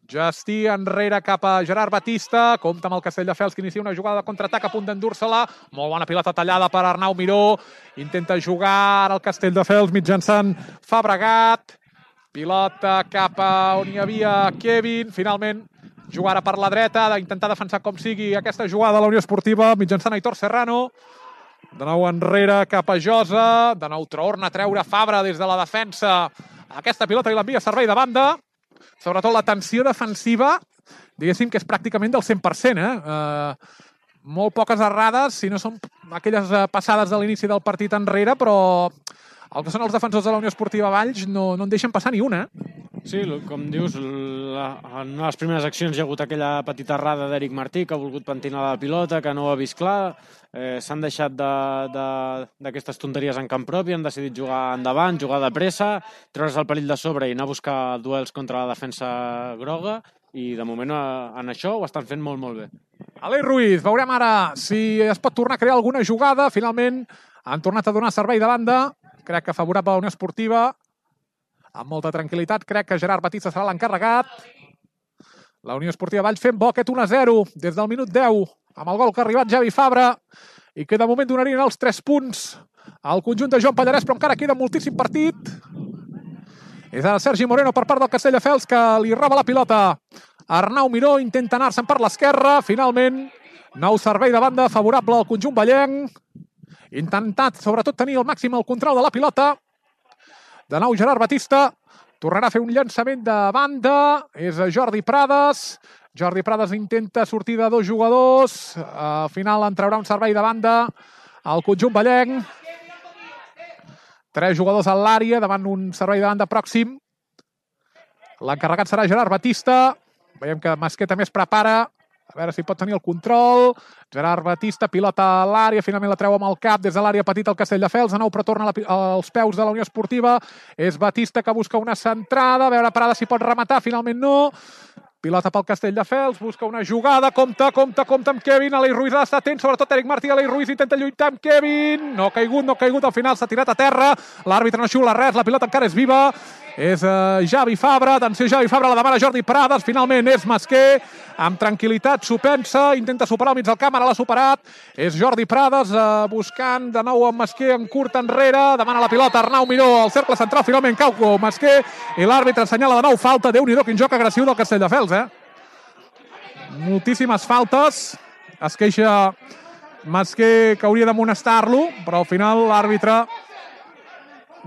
Justí enrere cap a Gerard Batista. Compte amb el Castelldefels que inicia una jugada de contraatac a punt d'endur-se-la. Molt bona pilota tallada per Arnau Miró. Intenta jugar el Castelldefels mitjançant Fabregat. Pilota cap a on hi havia Kevin. Finalment jugarà per la dreta, d'intentar defensar com sigui aquesta jugada de la Unió Esportiva mitjançant Aitor Serrano. De nou enrere cap a Josa. De nou torna a treure Fabra des de la defensa. Aquesta pilota i l'envia a servei de banda. Sobretot la tensió defensiva, diguéssim que és pràcticament del cent per cent. Eh? Uh, molt poques errades, si no són aquelles passades de l'inici del partit enrere, però el que són els defensors de la Unió Esportiva Valls no, no en deixen passar ni una. Sí, com dius, la, en una de les primeres accions hi ha hagut aquella petita errada d'Eric Martí que ha volgut pentinar la pilota, que no ho ha vist clar. Eh, S'han deixat d'aquestes de, tonteries en camp propi, han decidit jugar endavant, jugar de pressa, treure's el perill de sobre i anar a buscar duels contra la defensa groga i de moment en això ho estan fent molt, molt bé. Aleix Ruiz, veurem ara si es pot tornar a crear alguna jugada. Finalment han tornat a donar servei de banda, crec que favorable a la Unió Esportiva. Amb molta tranquil·litat, crec que Gerard Batista serà l'encarregat. La Unió Esportiva Valls fent bo aquest un a zero des del minut deu, amb el gol que ha arribat Javi Fabra, i que de moment donarien els tres punts al conjunt de Joan Pallarès, però encara queda moltíssim partit. És ara Sergi Moreno per part del Castelldefels que li roba la pilota. Arnau Miró intenta anar-se'n per l'esquerra. Finalment, nou servei de banda favorable al conjunt vallenc. Intentat, sobretot, tenir el màxim el control de la pilota. De nou Gerard Batista tornarà a fer un llançament de banda. És Jordi Prades. Jordi Prades intenta sortir de dos jugadors. Al final en traurà un servei de banda al conjunt vallenc. Tres jugadors a l'àrea davant un servei de banda pròxim. L'encarregat serà Gerard Batista. Veiem que Masquer també es prepara. A veure si pot tenir el control. Gerard Batista, pilota a l'àrea, finalment la treu amb el cap des de l'àrea petita al Castelldefels. De nou, però torna als peus de la Unió Esportiva. És Batista que busca una centrada. A veure, Prada si pot rematar, finalment no. Pilota pel Castelldefels, busca una jugada. Compte, compte, compte amb Kevin. Aleix Ruiz ha d'estar atent, sobretot Eric Martí. Aleix Ruiz intenta lluitar amb Kevin. No ha caigut, no ha caigut. Al final s'ha tirat a terra. L'àrbitre no xiula res, la pilota encara és viva. És uh, Javi Fabra, atenció Javi Fabra, la demana Jordi Prades, finalment és Masquer, amb tranquil·litat s'ho pensa, intenta superar al mig del camp, ara l'ha superat, és Jordi Prades uh, buscant de nou amb Masquer en curt enrere, demana la pilota Arnau Miró, al cercle central, finalment cau Masquer, i l'àrbitre assenyala de nou falta. Déu-n'hi-do, quin joc agressiu del Castelldefels, eh? Moltíssimes faltes, es queixa Masquer que hauria d'amonestar-lo, però al final l'àrbitre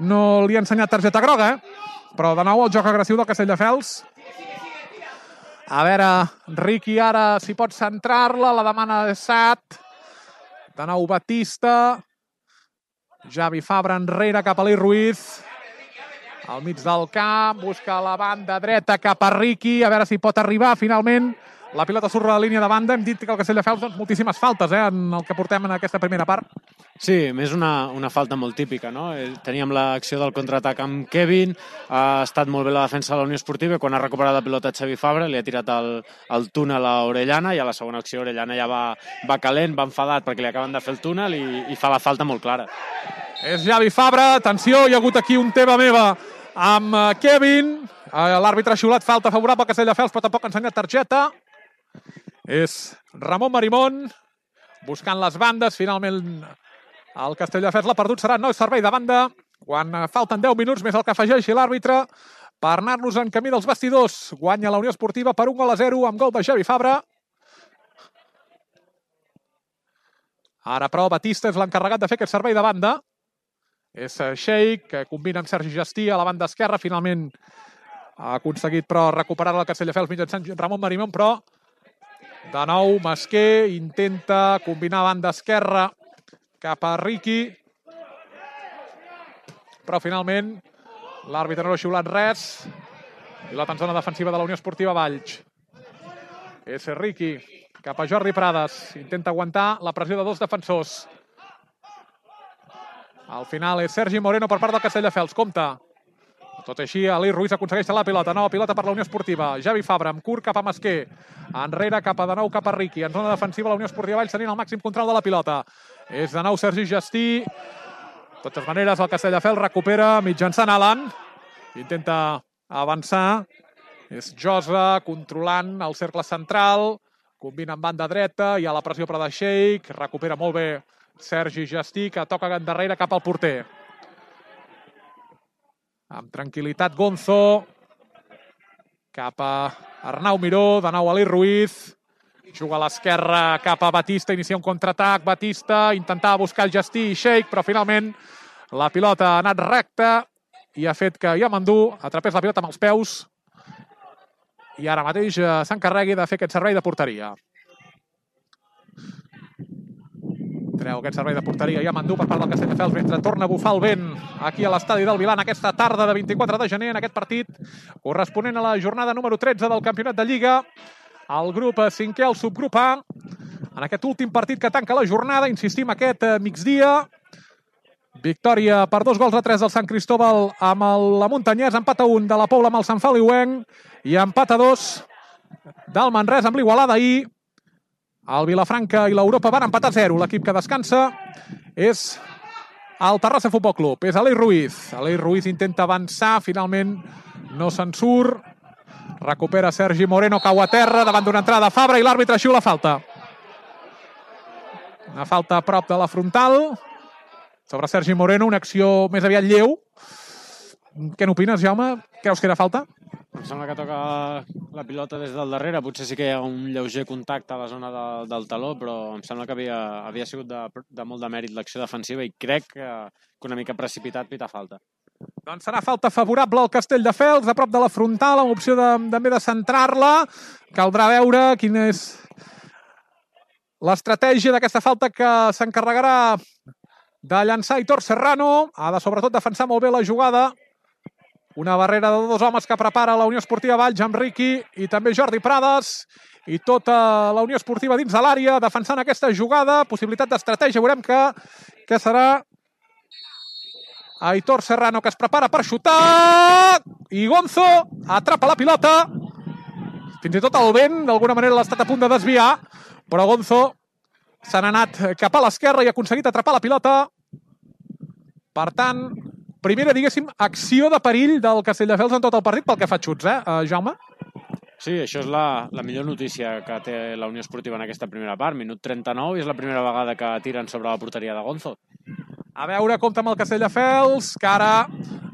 no li ha ensenyat targeta groga, eh? Però de nou el joc agressiu del Castelldefels. A veure, Riqui ara si pot centrar-la, la demana de Sat. De nou Batista. Javi Fabra enrere cap a l'I Ruiz. Al mig del camp, busca la banda dreta cap a Riqui, a veure si pot arribar finalment. La pilota surt a la línia de banda. Hem dit que el Castelldefels, doncs, moltíssimes faltes, eh, en el que portem en aquesta primera part. Sí, més una, una falta molt típica, no? Teníem l'acció del contraatac amb Kevin, ha estat molt bé la defensa de la Unió Esportiva, i quan ha recuperat la pilota Xavi Fabra li ha tirat el, el túnel a Orellana, i a la segona acció Orellana ja va, va calent, va enfadat perquè li acaben de fer el túnel i, i fa la falta molt clara. És Javi Fabra, atenció, hi ha hagut aquí un teva meva amb Kevin, l'àrbitre ha xiulat falta favorable al Castelldefels, però tampoc ha ensenyat targeta. És Ramon Marimón, buscant les bandes, finalment el Castelldefels l'ha perdut, serà nou servei de banda, quan falten deu minuts més el que afegeixi l'àrbitre per anar-nos en camí dels vestidors. Guanya la Unió Esportiva per un gol a zero amb gol de Javi Fabra. Ara, però, Batista és l'encarregat de fer aquest servei de banda. És Sheik, que combina amb Sergi Justí a la banda esquerra. Finalment ha aconseguit, però, recuperar el Castelldefels mitjançant Ramon Marimón, però de nou Masquer intenta combinar a banda esquerra cap a Riqui, però finalment l'àrbitre no ha xiulat res i la zona defensiva de la Unió Esportiva Valls. És Riqui cap a Jordi Prades, intenta aguantar la pressió de dos defensors. Al final és Sergi Moreno per part del Castelldefels, compta. Tot així, l'I Ruiz aconsegueix la pilota. Nova pilota per la Unió Esportiva. Javi Fabra amb curt cap a Masquer. Enrere cap a de nou cap a Riqui. En zona defensiva la Unió Esportiva Valls tenint el màxim control de la pilota. És de nou Sergi Justí. De totes maneres, el Castelldefels recupera mitjançant Alan. Intenta avançar. És Josa controlant el cercle central. Combina amb banda dreta. Hi ha la pressió per de Sheik. Recupera molt bé Sergi Justí, que toca endarrere cap al porter. Amb tranquil·litat Gonzo, cap a Arnau Miró, de nou a l'I Ruiz, juga a l'esquerra cap a Batista, inicia un contraatac, Batista intentava buscar el Justí i Sheik, però finalment la pilota ha anat recta i ha fet que Yamandú atrapés la pilota amb els peus i ara mateix s'encarregui de fer aquest servei de porteria. Treu aquest servei de porteria Yamandú per part del Castelldefels mentre torna a bufar el vent aquí a l'estadi del Vilan aquesta tarda de vint-i-quatre de gener en aquest partit corresponent a la jornada número tretze del Campionat de Lliga. El grup cinquè, el subgrup A, en aquest últim partit que tanca la jornada, insistim, aquest migdia. Victòria per dos gols a tres del Sant Cristóbal amb la Muntanyès, empat a un de la Pobla amb el Sant Feliuenc i empat a dos del Manresa amb l'Igualada ahir. El Vilafranca i l'Europa van empatar a zero. L'equip que descansa és el Terrassa Futbol Club. És l'Eloi Ruiz. L'Eloi Ruiz intenta avançar. Finalment no se'n surt. Recupera Sergi Moreno, cau a terra davant d'una entrada de Fabra i l'àrbitre xiula falta. Una falta a prop de la frontal sobre Sergi Moreno. Una acció més aviat lleu. Què n'opines, Jaume? Creus que era falta? Em sembla que toca la pilota des del darrere. Potser sí que hi ha un lleuger contacte a la zona de, del taló, però em sembla que havia, havia sigut de, de molt de mèrit l'acció defensiva i crec que, que una mica precipitat pita falta. Doncs serà falta favorable al Castelldefels, a prop de la frontal, amb opció de, també de centrar-la. Caldrà veure quina és l'estratègia d'aquesta falta que s'encarregarà de llançar Aitor Serrano. Ha de sobretot defensar molt bé la jugada. Una barrera de dos homes que prepara la Unió Esportiva Valls amb Riqui i també Jordi Prades i tota la Unió Esportiva dins de l'àrea defensant aquesta jugada. Possibilitat d'estratègia. Veurem que, que serà Aitor Serrano que es prepara per xutar i Gonzo atrapa la pilota. Fins i tot el vent d'alguna manera l'ha estat a punt de desviar, però Gonzo s'ha anat cap a l'esquerra i ha aconseguit atrapar la pilota. Per tant, primera, diguéssim, acció de perill del Castelldefels en tot el partit pel que fa a xuts, eh, Jaume? Sí, això és la, la millor notícia que té la Unió Esportiva en aquesta primera part. Minut trenta-nou i és la primera vegada que tiren sobre la porteria de Gonzo. A veure, compta amb el Castelldefels, que ara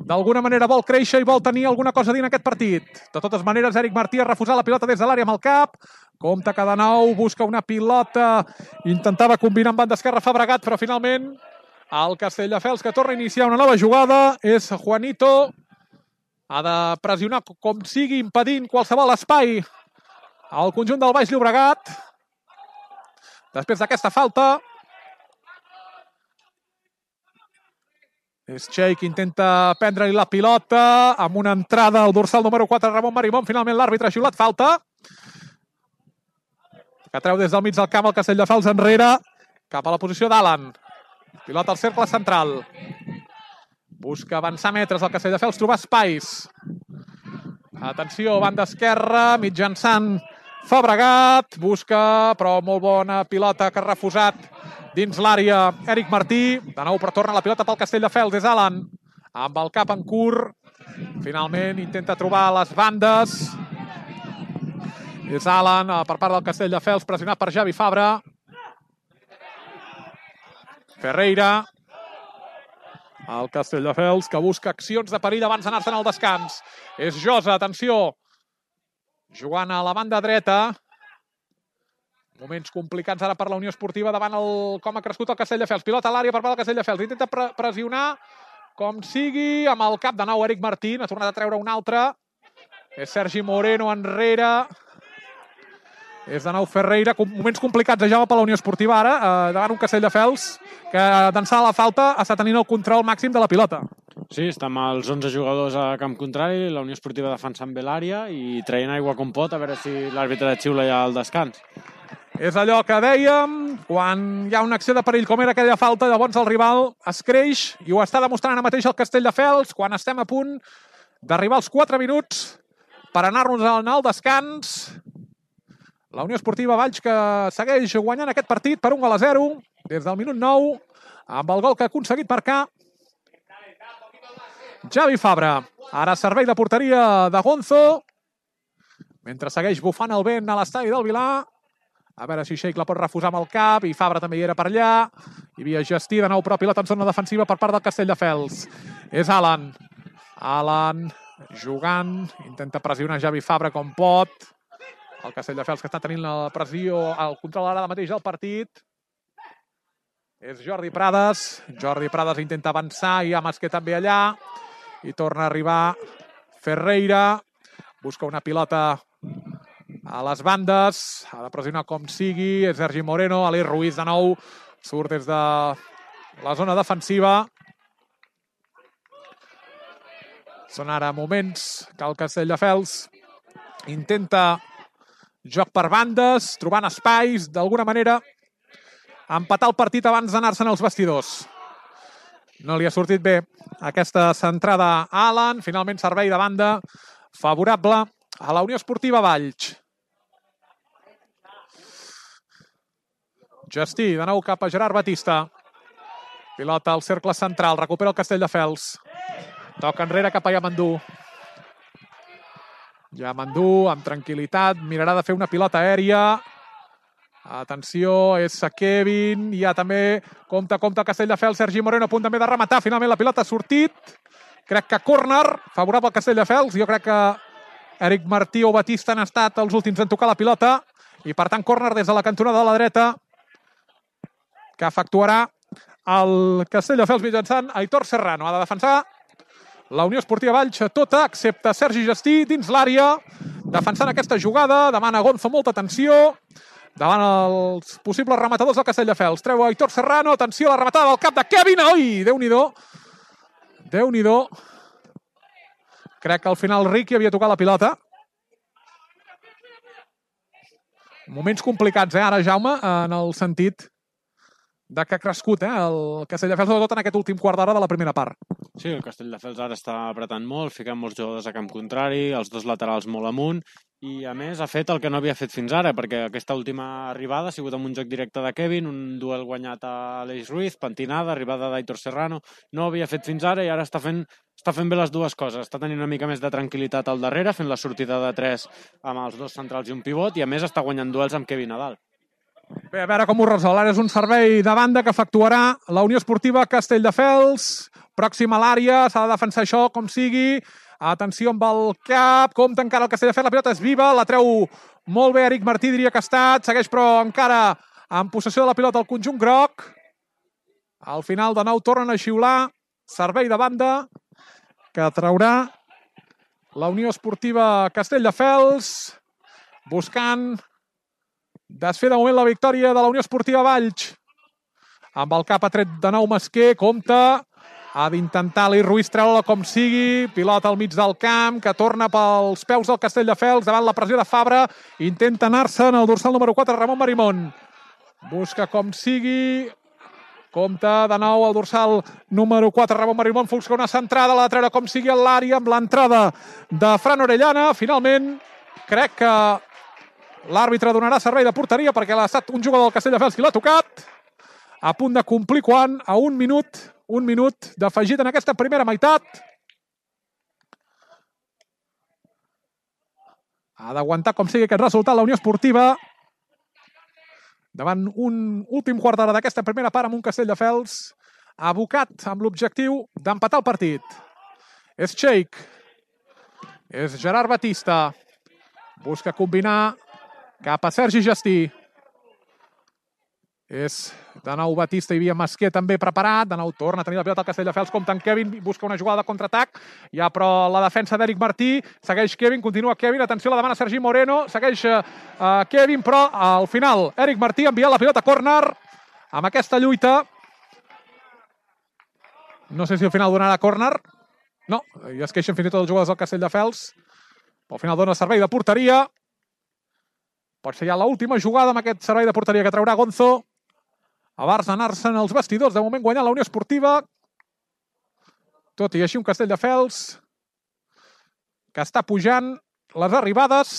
d'alguna manera vol créixer i vol tenir alguna cosa a dir en aquest partit. De totes maneres, Eric Martí ha refusat la pilota des de l'àrea amb el cap. Compta que de nou busca una pilota. Intentava combinar amb banda esquerra Fabregat, però finalment el Castelldefels, que torna a iniciar una nova jugada, és Juanito. Ha de pressionar com sigui, impedint qualsevol espai al conjunt del Baix Llobregat. Després d'aquesta falta, És Txell que intenta prendre-li la pilota amb una entrada al dorsal número quatre, Ramon Marimón. Finalment l'àrbitre ha xiulat falta, que treu des del mig del camp el Castelldefels enrere cap a la posició d'Alan. Pilota al cercle central. Busca avançar metres el Castelldefels, trobar espais. Atenció, banda esquerra, mitjançant Fabregat. Busca, però molt bona pilota que ha refusat dins l'àrea Eric Martí. De nou, però torna la pilota pel Castelldefels. És Alan, amb el cap en curt. Finalment intenta trobar les bandes. És Alan, per part del Castelldefels, pressionat per Javi Fabra. Ferreira. El Castelldefels, que busca accions de perill abans d'anar-se'n al descans. És Josa, atenció. Jugant a la banda dreta. Moments complicats ara per la Unió Esportiva davant el com ha crescut el Castelldefels. Pilota a l'àrea per part del Castelldefels. Intenta pre pressionar com sigui amb el cap de nou Eric Martín. Ha tornat a treure un altre. És Sergi Moreno enrere. És de nou Ferreira. Moments complicats de Jaume per la Unió Esportiva ara, eh, davant un Castelldefels que d'ençà de la falta està tenint el control màxim de la pilota. Sí, està amb els onze jugadors a camp contrari, la Unió Esportiva defensant bé l'àrea i traient aigua com pot, a veure si l'àrbitre de xiula ja al descans. És allò que dèiem, quan hi ha una acció de perill com era aquella falta, llavors el rival es creix i ho està demostrant ara mateix el Castelldefels quan estem a punt d'arribar als quatre minuts per anar-nos al descans. La Unió Esportiva Valls que segueix guanyant aquest partit per un gol a zero des del minut nou amb el gol que ha aconseguit marcar Javi Fabra. Ara servei de porteria de Gonzo mentre segueix bufant el vent a l'estadi del Vilar. A veure si Sheik la pot refusar amb el cap i Fabra també hi era per allà. Hi havia Gestí, de nou però pilota en zona defensiva per part del Castelldefels. És Alan. Alan jugant, intenta pressionar Javi Fabra com pot. El Castelldefels que està tenint la pressió, el control ara mateix del partit. És Jordi Prades. Jordi Prades intenta avançar i Amasquer també allà. I torna a arribar Ferreira. Busca una pilota a les bandes. Ha de pressionar com sigui. És Sergi Moreno. Aleix Ruiz de nou. Surt des de la zona defensiva. Són ara moments que el Castelldefels intenta joc per bandes, trobant espais, d'alguna manera, empatar el partit abans d'anar-se'n als vestidors. No li ha sortit bé aquesta centrada a Alan. Finalment servei de banda favorable a la Unió Esportiva Valls. Gestí, de nou cap a Gerard Batista. Pilota al cercle central, recupera el Castelldefels. Toca enrere cap a Yamandú. Yamandú, amb tranquil·litat, mirarà de fer una pilota aèria. Atenció, és Kevin. Hi ha també, compte, compte el Castelldefels. Sergi Moreno a punt també de rematar. Finalment la pilota ha sortit. Crec que córner, favorable al Castelldefels. Jo crec que Eric Martí o Batista han estat els últims en tocar la pilota. I per tant, córner des de la cantonada de la dreta que efectuarà el Castelldefels mitjançant Aitor Serrano. Ha de defensar la Unió Esportiva Valls tota, excepte Sergi Gestí, dins l'àrea, defensant aquesta jugada. Demana Gonzo molta atenció davant els possibles rematadors del Castelldefels. Treu Aitor Serrano, atenció a la rematada del cap de Kevin. Oi, Déu-n'hi-do. Déu-n'hi-do. Crec que al final Riqui havia tocat la pilota. Moments complicats, eh, ara, Jaume, en el sentit de que ha crescut eh, el Castelldefels, sobretot en aquest últim quart d'hora de la primera part. Sí, el Castelldefels ara està apretant molt, ficant molts jugadors a camp contrari, els dos laterals molt amunt, i a més ha fet el que no havia fet fins ara, perquè aquesta última arribada ha sigut amb un joc directe de Kevin, un duel guanyat a Aleix Ruiz, pentinada, arribada d'Aitor Serrano, no havia fet fins ara i ara està fent, està fent bé les dues coses. Està tenint una mica més de tranquil·litat al darrere, fent la sortida de tres amb els dos centrals i un pivot, i a més està guanyant duels amb Kevin Nadal. Bé, a veure com ho resol. Ara és un servei de banda que efectuarà la Unió Esportiva Castelldefels. Pròxim a l'àrea, s'ha de defensar això com sigui. Atenció amb el cap, compta encara el Castelldefels, la pilota és viva, la treu molt bé Eric Martí, diria que ha estat, segueix però encara en possessió de la pilota el conjunt groc. Al final de nou tornen a xiular, servei de banda que traurà la Unió Esportiva Castelldefels, buscant desfer de moment la victòria de la Unió Esportiva Valls. Amb el cap ha tret de nou Masquer, compta, Ha d'intentar l'I Ruiz treure-la com sigui. Pilota al mig del camp, que torna pels peus del Castelldefels, davant la pressió de Fabra. Intenta anar-se'n el dorsal número quatre, Ramon Marimón. Busca com sigui. Compta de nou el dorsal número quatre, Ramon Marimón. Busca una centrada, la de treure com sigui a l'àrea, amb l'entrada de Fran Orellana. Finalment, crec que l'àrbitre donarà servei de porteria perquè l'ha estat un jugador del Castelldefels qui l'ha tocat. A punt de complir quan? A un minut, un minut d'afegit en aquesta primera meitat. Ha d'aguantar com sigui aquest resultat la Unió Esportiva davant un últim quart d'hora d'aquesta primera part amb un Castelldefels abocat amb l'objectiu d'empatar el partit. És Cheik. És Gerard Batista. Busca combinar cap a Sergi Gestí. És de nou Batista, hi havia Masquer també preparat, de nou torna a tenir la pilota al Castelldefels, compta en Kevin, busca una jugada de contraatac, hi ha però la defensa d'Eric Martí, segueix Kevin, continua Kevin, atenció, la demana Sergi Moreno, segueix uh, Kevin, però al final Eric Martí envia la pilota a córner, amb aquesta lluita, no sé si al final donarà córner, no, i es queixen fins i tot els jugadors del Castelldefels, però al final dona servei de porteria, pot ser ja l'última jugada amb aquest servei de porteria que traurà Gonzo, abans d'anar-se'n els vestidors, de moment guanyant la Unió Esportiva, tot i així un Castelldefels que està pujant les arribades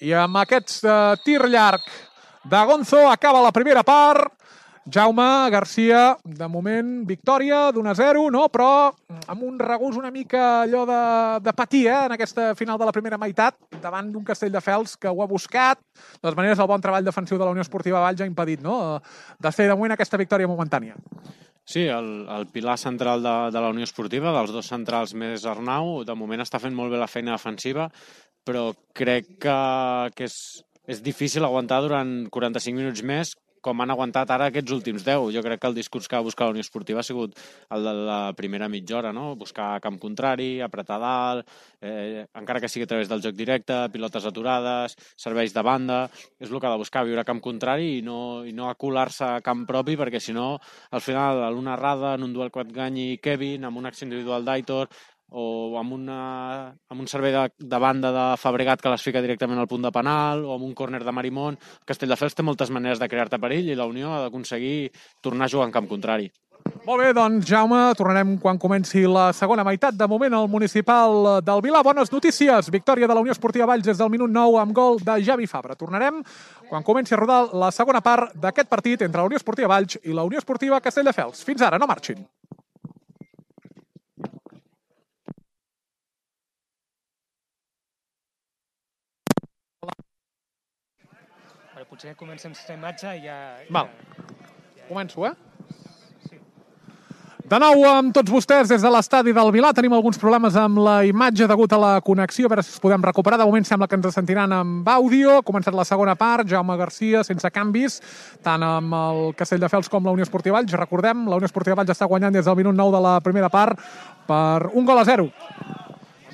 i amb aquest uh, tir llarg de Gonzo acaba la primera part. Jaume Garcia, de moment, victòria d'un a zero, no? Però amb un regús una mica allò de, de patir, eh? En aquesta final de la primera meitat, davant d'un Castelldefels que ho ha buscat. De totes maneres, el bon treball defensiu de la Unió Esportiva Valls ha impedit, no?, de fer de moment aquesta victòria momentània. Sí, el, el pilar central de, de la Unió Esportiva, dels dos centrals més Arnau, de moment està fent molt bé la feina defensiva, però crec que, que és, és difícil aguantar durant quaranta-cinc minuts més, com han aguantat ara aquests últims deu. Jo crec que el discurs que ha buscat la Unió Esportiva ha sigut el de la primera mitja hora, no? Buscar camp contrari, apretar dalt, eh, encara que sigui a través del joc directe, pilotes aturades, serveis de banda, és el que ha de buscar, viure a camp contrari i no, i no acular-se a camp propi, perquè si no, al final, a l'una errada, en un duel que et ganyi Kevin, amb una acció individual d'Aitor, o amb, una, amb un servei de, de banda de Fabregat que les fica directament al punt de penal, o amb un córner de Marimón. Castelldefels té moltes maneres de crear-te perill i la Unió ha d'aconseguir tornar a jugar en camp contrari. Molt bé, doncs, Jaume, tornarem quan comenci la segona meitat. De moment, al municipal del Vilà. Bones notícies. Victòria de la Unió Esportiva Valls des del minut nou amb gol de Javi Fabra. Tornarem quan comenci a rodar la segona part d'aquest partit entre la Unió Esportiva Valls i la Unió Esportiva Castelldefels. Fins ara, no marxin. Potser comencem sense imatge i ja... Val. Començo, eh? Sí. De nou amb tots vostès des de l'estadi del Vilà. Tenim alguns problemes amb la imatge degut a la connexió. A veure si es podem recuperar. De moment sembla que ens sentiran amb àudio. Ha començat la segona part. Jaume Garcia sense canvis, tant amb el Castelldefels com la Unió Esportiva Valls. Recordem, la Unió Esportiva Valls està guanyant des del minut nou de la primera part per un gol a zero.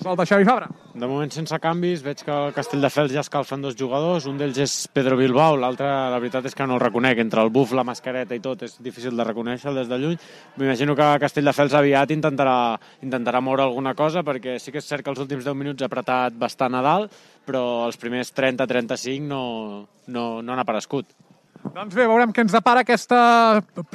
Gol de Xavi Fabra. De moment sense canvis, veig que el Castelldefels ja escalfen dos jugadors, un d'ells és Pedro Bilbao, l'altre la veritat és que no el reconec, entre el buf, la mascareta i tot és difícil de reconèixer des de lluny. M'imagino que Castelldefels aviat intentarà, intentarà moure alguna cosa, perquè sí que és cert que els últims deu minuts ha apretat bastant a dalt, però els primers trenta a trenta-cinc no, no, no han aparegut. Doncs bé, veurem què ens depara aquesta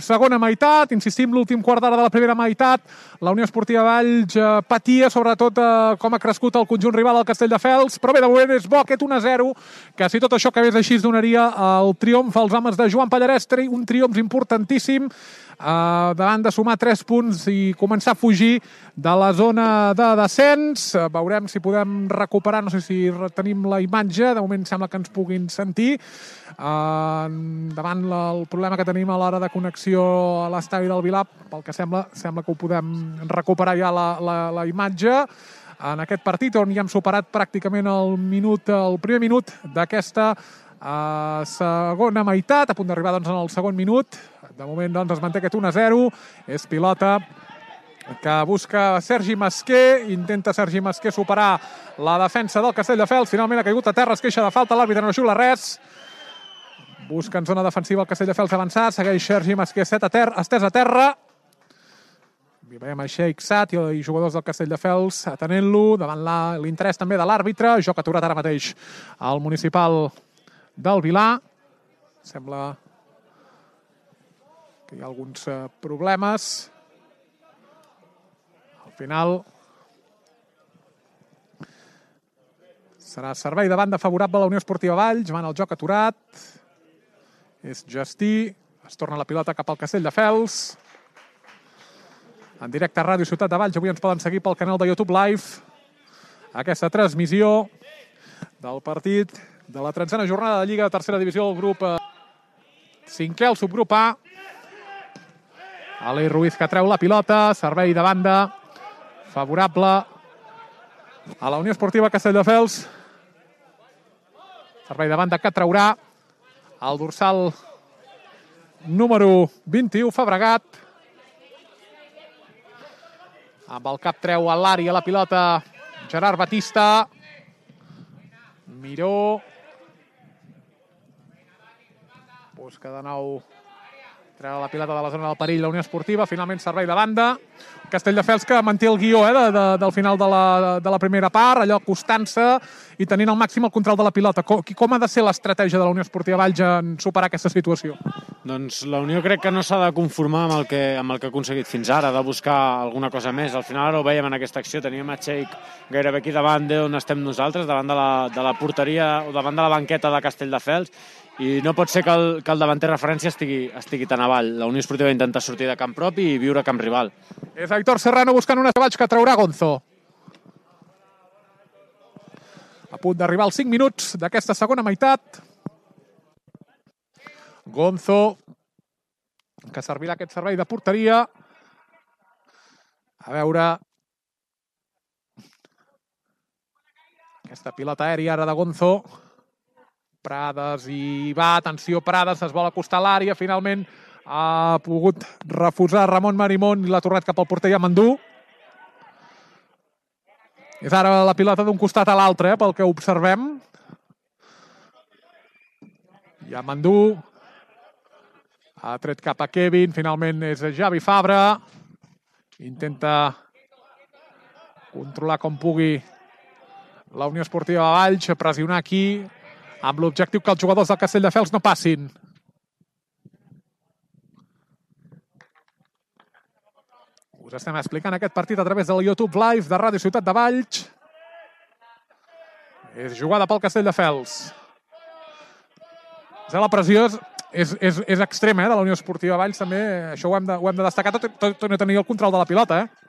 segona meitat. Insistim, l'últim quart d'hora de la primera meitat. La Unió Esportiva Valls eh, patia, sobretot, eh, com ha crescut el conjunt rival al Castelldefels. Però bé, de moment és bo aquest un a zero, que si tot això acabés així es donaria el triomf als homes de Joan Pallarès, un triomf importantíssim, Uh, davant de sumar tres punts i començar a fugir de la zona de descens. Uh, veurem si podem recuperar, no sé si tenim la imatge, de moment sembla que ens puguin sentir. Uh, davant la, el problema que tenim a l'hora de connexió a l'estadi del Vilà, pel que sembla, sembla que ho podem recuperar ja la, la, la imatge en aquest partit on ja hem superat pràcticament el minut, el primer minut d'aquesta uh, segona meitat, a punt d'arribar doncs, en el segon minut. De moment doncs, es manté aquest un a zero. És pilota que busca Sergi Masquer. Intenta Sergi Masquer superar la defensa del Castelldefels. Finalment ha caigut a terra, es queixa de falta. L'àrbitre no xiula res. Busca en zona defensiva el Castelldefels avançat. Segueix Sergi Masquer estès a terra. I veiem el Sheikh Sat i jugadors del Castelldefels atenent-lo davant l'interès també de l'àrbitre. Joc aturat ara mateix al municipal del Vilar. Sembla que hi ha alguns problemes. Al final serà servei de banda favorable a la Unió Esportiva Valls. Van el joc aturat. És Justí. Es torna la pilota cap al Castelldefels. En directe a Ràdio Ciutat de Valls. Avui ens poden seguir pel canal de YouTube Live. Aquesta transmissió del partit de la tretzena jornada de Lliga de Tercera Divisió del grup cinquè, el subgrup A. Alei Ruiz que treu la pilota. Servei de banda favorable a la Unió Esportiva Castelldefels. Servei de banda que traurà el dorsal número vint-i-u, Fabregat. Amb el cap treu a l'àrea la pilota Gerard Batista. Miró. Busca de nou treure la pilota de la zona del perill la Unió Esportiva. Finalment servei de banda. Castelldefels que manté el guió eh, de, de, del final de la, de la primera part, allò acostant-se i tenint al màxim el control de la pilota. Com, com ha de ser l'estratègia de la Unió Esportiva Valls en superar aquesta situació? Doncs la Unió crec que no s'ha de conformar amb el, que, amb el que ha aconseguit fins ara, de buscar alguna cosa més. Al final ara ho veiem en aquesta acció, teníem a Sheikh gairebé aquí davant d'on estem nosaltres, davant de la, de la porteria o davant de la banqueta de Castelldefels, i no pot ser que el, que el davanter referència estigui, estigui tan avall. La Unió Esportiva intenta sortir de camp propi i viure a camp rival. És Aitor Serrano buscant un Baix que traurà Gonzo. A punt d'arribar als cinc minuts d'aquesta segona meitat. Gonzo, que servirà aquest servei de porteria. A veure... Aquesta pilota aèria ara de Gonzo. Prades i va, atenció Prades, es vol acostar a l'àrea, finalment ha pogut refusar Ramon Marimón i l'ha tornat cap al porter Yamandú. És ara la pilota d'un costat a l'altre, eh, pel que observem. Yamandú ha tret cap a Kevin, finalment és Javi Fabra. Intenta controlar com pugui la Unió Esportiva Valls, pressionar aquí, amb l'objectiu que els jugadors del Castelldefels no passin. Us estem explicant aquest partit a través del YouTube Live de Ràdio Ciutat de Valls. És jugada pel Castelldefels. La pressió és, és, és, és extrema eh, de la Unió Esportiva Valls, també. Això ho hem de, ho hem de destacar, tot, tot, tot no tenir el control de la pilota, eh?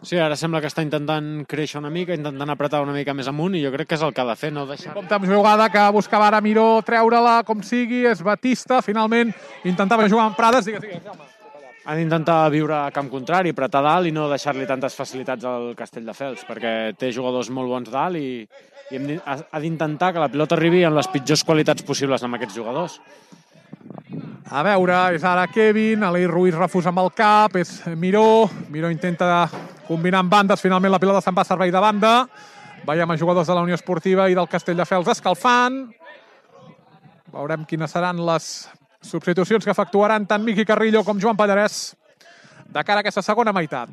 Sí, ara sembla que està intentant créixer una mica, intentant apretar una mica més amunt, i jo crec que és el que ha de fer, no deixar... Compte amb jugada que buscava ara Miró treure-la com sigui, és Batista, finalment intentava jugar amb Prades, digues, digues, Jaume. Ha d'intentar viure a camp contrari, apretar dalt i no deixar-li tantes facilitats al Castelldefels, perquè té jugadors molt bons dalt i, i hem, ha d'intentar que la pilota arribi amb les pitjors qualitats possibles amb aquests jugadors. A veure, és ara Kevin, Alei Ruiz refusa amb el cap, és Miró, Miró intenta combinar amb bandes, finalment la pilota se'n va a servei de banda. Veiem a jugadors de la Unió Esportiva i del Castelldefels escalfant. Veurem quines seran les substitucions que efectuaran tant Miqui Carrillo com Joan Pallarès de cara a aquesta segona meitat.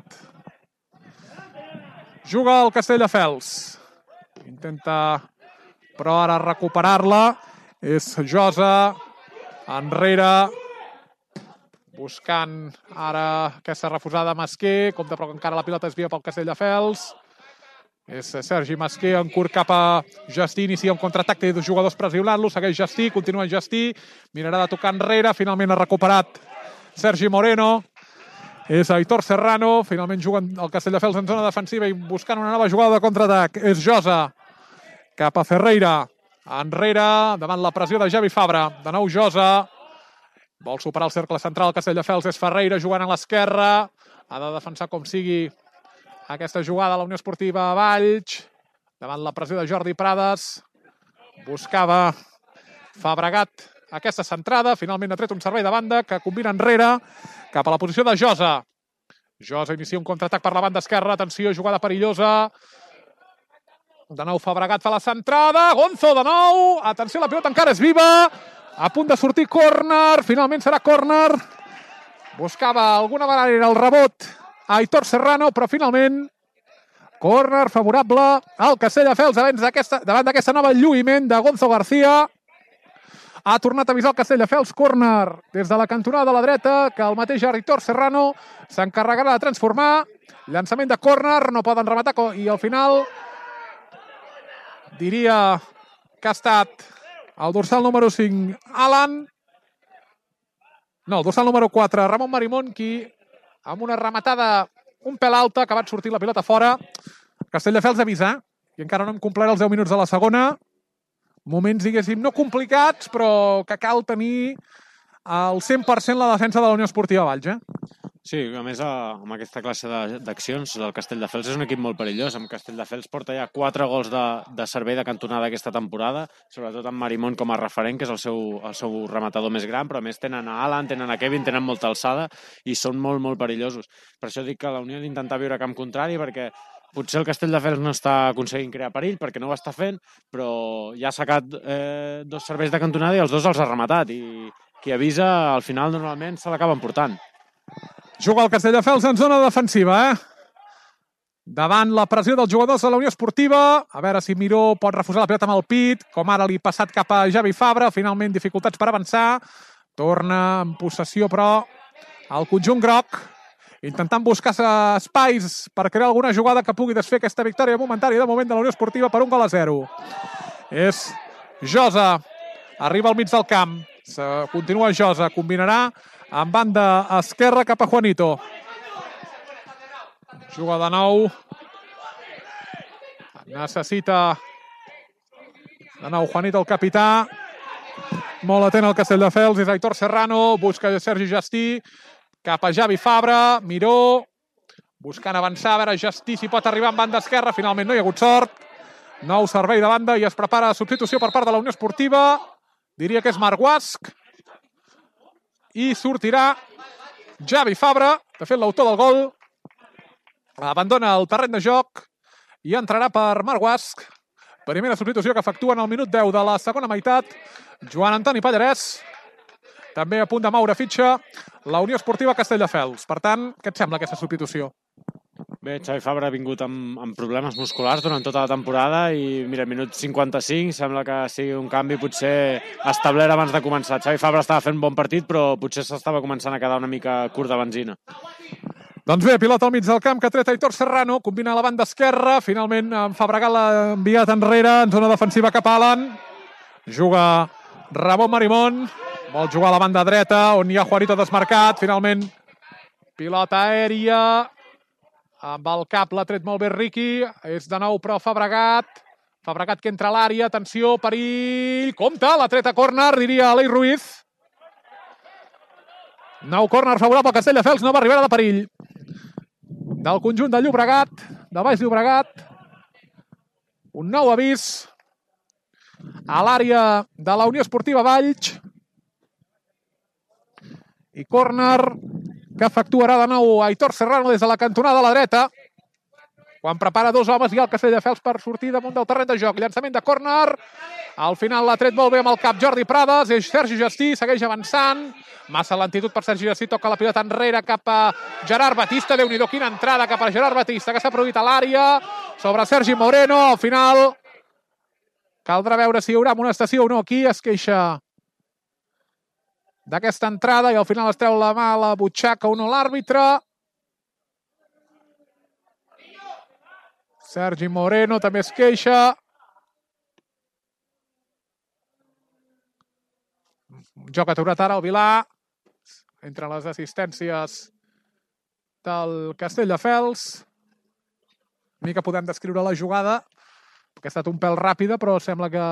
Juga el Castelldefels. Intenta, però ara recuperar-la. És Josa, enrere, buscant ara aquesta refusada Masquer, compte però que encara la pilota es via pel Castelldefels. És Sergi Masquer en curt cap a Justí, inicia un contraatac, té dos jugadors pressionant-lo, segueix Justí, continua Justí, mirarà de tocar enrere, finalment ha recuperat Sergi Moreno. És Aitor Serrano, finalment juguen el Castelldefels en zona defensiva i buscant una nova jugada de contraatac. És Josa, cap a Ferreira, enrere, davant la pressió de Javi Fabra. De nou Josa, vol superar el cercle central, el Castelldefels és Ferreira jugant a l'esquerra, ha de defensar com sigui aquesta jugada a la Unió Esportiva Valls, davant la pressió de Jordi Prades, buscava Fabregat aquesta centrada, finalment ha tret un servei de banda que combina enrere cap a la posició de Josa. Josa inicia un contraatac per la banda esquerra, atenció, jugada perillosa. De nou Fabregat fa la centrada, Gonzo de nou, atenció, la pilota encara és viva, A punt de sortir córner, finalment serà córner. Buscava alguna manera el rebot a Aitor Serrano, però finalment córner favorable al Castelldefels davant d'aquesta nova lluïment de Gonzo García. Ha tornat a avisar el Castelldefels, córner des de la cantonada de la dreta, que el mateix Aitor Serrano s'encarregarà de transformar. Llançament de córner, no poden rematar i al final diria que ha estat el dorsal número cinc, Alan. No, el dorsal número quatre, Ramon Marimón, qui amb una rematada un pèl alta, ha acabat sortint la pilota fora. Castelldefels avisa, i encara no hem complert els deu minuts de la segona. Moments, diguéssim, no complicats, però que cal tenir al cent per cent la defensa de la Unió Esportiva Valls, eh? Sí, a més, amb aquesta classe d'accions, el Castelldefels és un equip molt perillós. Amb Castelldefels porta ja quatre gols de, de servei de cantonada aquesta temporada, sobretot amb Marimón com a referent, que és el seu, el seu rematador més gran, però a més tenen a Alan, tenen a Kevin, tenen molta alçada i són molt, molt perillosos. Per això dic que la Unió ha d'intentar viure a camp contrari, perquè potser el Castelldefels no està aconseguint crear perill, perquè no ho està fent, però ja ha sacat eh, dos serveis de cantonada i els dos els ha rematat, i qui avisa, al final, normalment se l'acaba emportant. Juga el Castelldefels en zona defensiva, eh? Davant la pressió dels jugadors de la Unió Esportiva. A veure si Miró pot refusar la pilota amb el pit, com ara li ha passat cap a Javi Fabra. Finalment, dificultats per avançar. Torna en possessió, però, al conjunt groc, intentant buscar espais per crear alguna jugada que pugui desfer aquesta victòria momentària de moment de la Unió Esportiva per un gol a zero. És Josa. Arriba al mig del camp. Continua Josa. Combinarà en banda esquerra cap a Juanito. Juga de nou. Necessita de nou Juanito, el capità. Molt atent al Castelldefels. És Aitor Serrano. Busca Sergi Justí. Cap a Javi Fabra. Miró. Buscant avançar. A veure Justí si pot arribar en banda esquerra. Finalment no hi ha hagut sort. Nou servei de banda i es prepara substitució per part de la Unió Esportiva. Diria que és Marc Guasc. I sortirà Javi Fabra, de fet l'autor del gol, abandona el terreny de joc i entrarà per Marc Guasc. Primera substitució que efectua en el minut deu de la segona meitat. Joan Antoni Pallarès, també a punt de moure fitxa la Unió Esportiva Castelldefels. Per tant, què et sembla aquesta substitució? Bé, Xavi Fabra ha vingut amb, amb problemes musculars durant tota la temporada i, mira, minut cinquanta-cinc, sembla que sigui un canvi potser establert abans de començar. Xavi Fabra estava fent un bon partit, però potser s'estava començant a quedar una mica curt de benzina. Doncs bé, pilota al mig del camp que ha tret Aitor Serrano, combina a la banda esquerra, finalment en Fabregat l'ha enviat enrere, en zona defensiva cap a Alan. Juga Ramon Marimón, vol jugar a la banda dreta, on hi ha Juanito desmarcat, finalment pilota aèria. Amb el cap l'ha tret molt bé Riqui. És de nou, però, Fabregat. Fabregat que entra a l'àrea. Atenció, perill. Compte, l'ha tret a córner, diria Alei Ruiz. Nou córner favorable al Castelldefels. Nova arribada de perill. Del conjunt de Llobregat. De Baix Llobregat. Un nou avís a l'àrea de la Unió Esportiva Valls. I córner que efectuarà de nou Aitor Serrano des de la cantonada a la dreta, quan prepara dos homes i el Castelldefels per sortir damunt del terreny de joc. Llançament de córner, al final l'ha tret molt bé amb el cap Jordi Prades, és Sergi Justí, segueix avançant, massa lentitud per Sergi Justí, toca la pilota enrere cap a Gerard Batista, Déu-n'hi-do, quina entrada cap a Gerard Batista, que s'ha produït a l'àrea, sobre Sergi Moreno, al final caldrà veure si hi haurà amonestació o no. Aquí es queixa d'aquesta entrada i al final es treu la mà a la butxaca o no l'àrbitre. Sergi Moreno també es queixa. Joc aturat ara el Vilà, entre les assistències del Castelldefels. Una mica podem descriure la jugada, que ha estat un pèl ràpida, però sembla que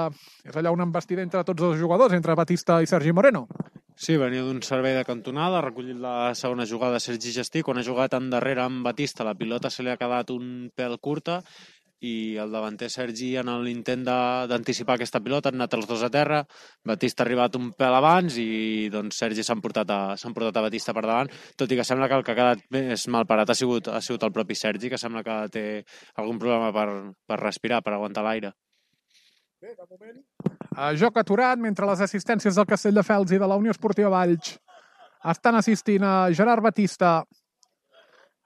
és allà una embestida entre tots els jugadors, entre Batista i Sergi Moreno. Sí, venia d'un servei de cantonada, ha recollit la segona jugada de Sergi Justí. Quan ha jugat endarrere amb Batista, la pilota se li ha quedat un pèl curta i el davanter Sergi, en l'intent d'anticipar aquesta pilota, han anat els dos a terra. Batista ha arribat un pèl abans i doncs Sergi s'ha portat, a, portat a Batista per davant, tot i que sembla que el que ha quedat més mal parat ha sigut, ha sigut el propi Sergi, que sembla que té algun problema per, per respirar, per aguantar l'aire. Bé, de moment Joc aturat, mentre les assistències del Castelldefels i de la Unió Esportiva Valls estan assistint a Gerard Batista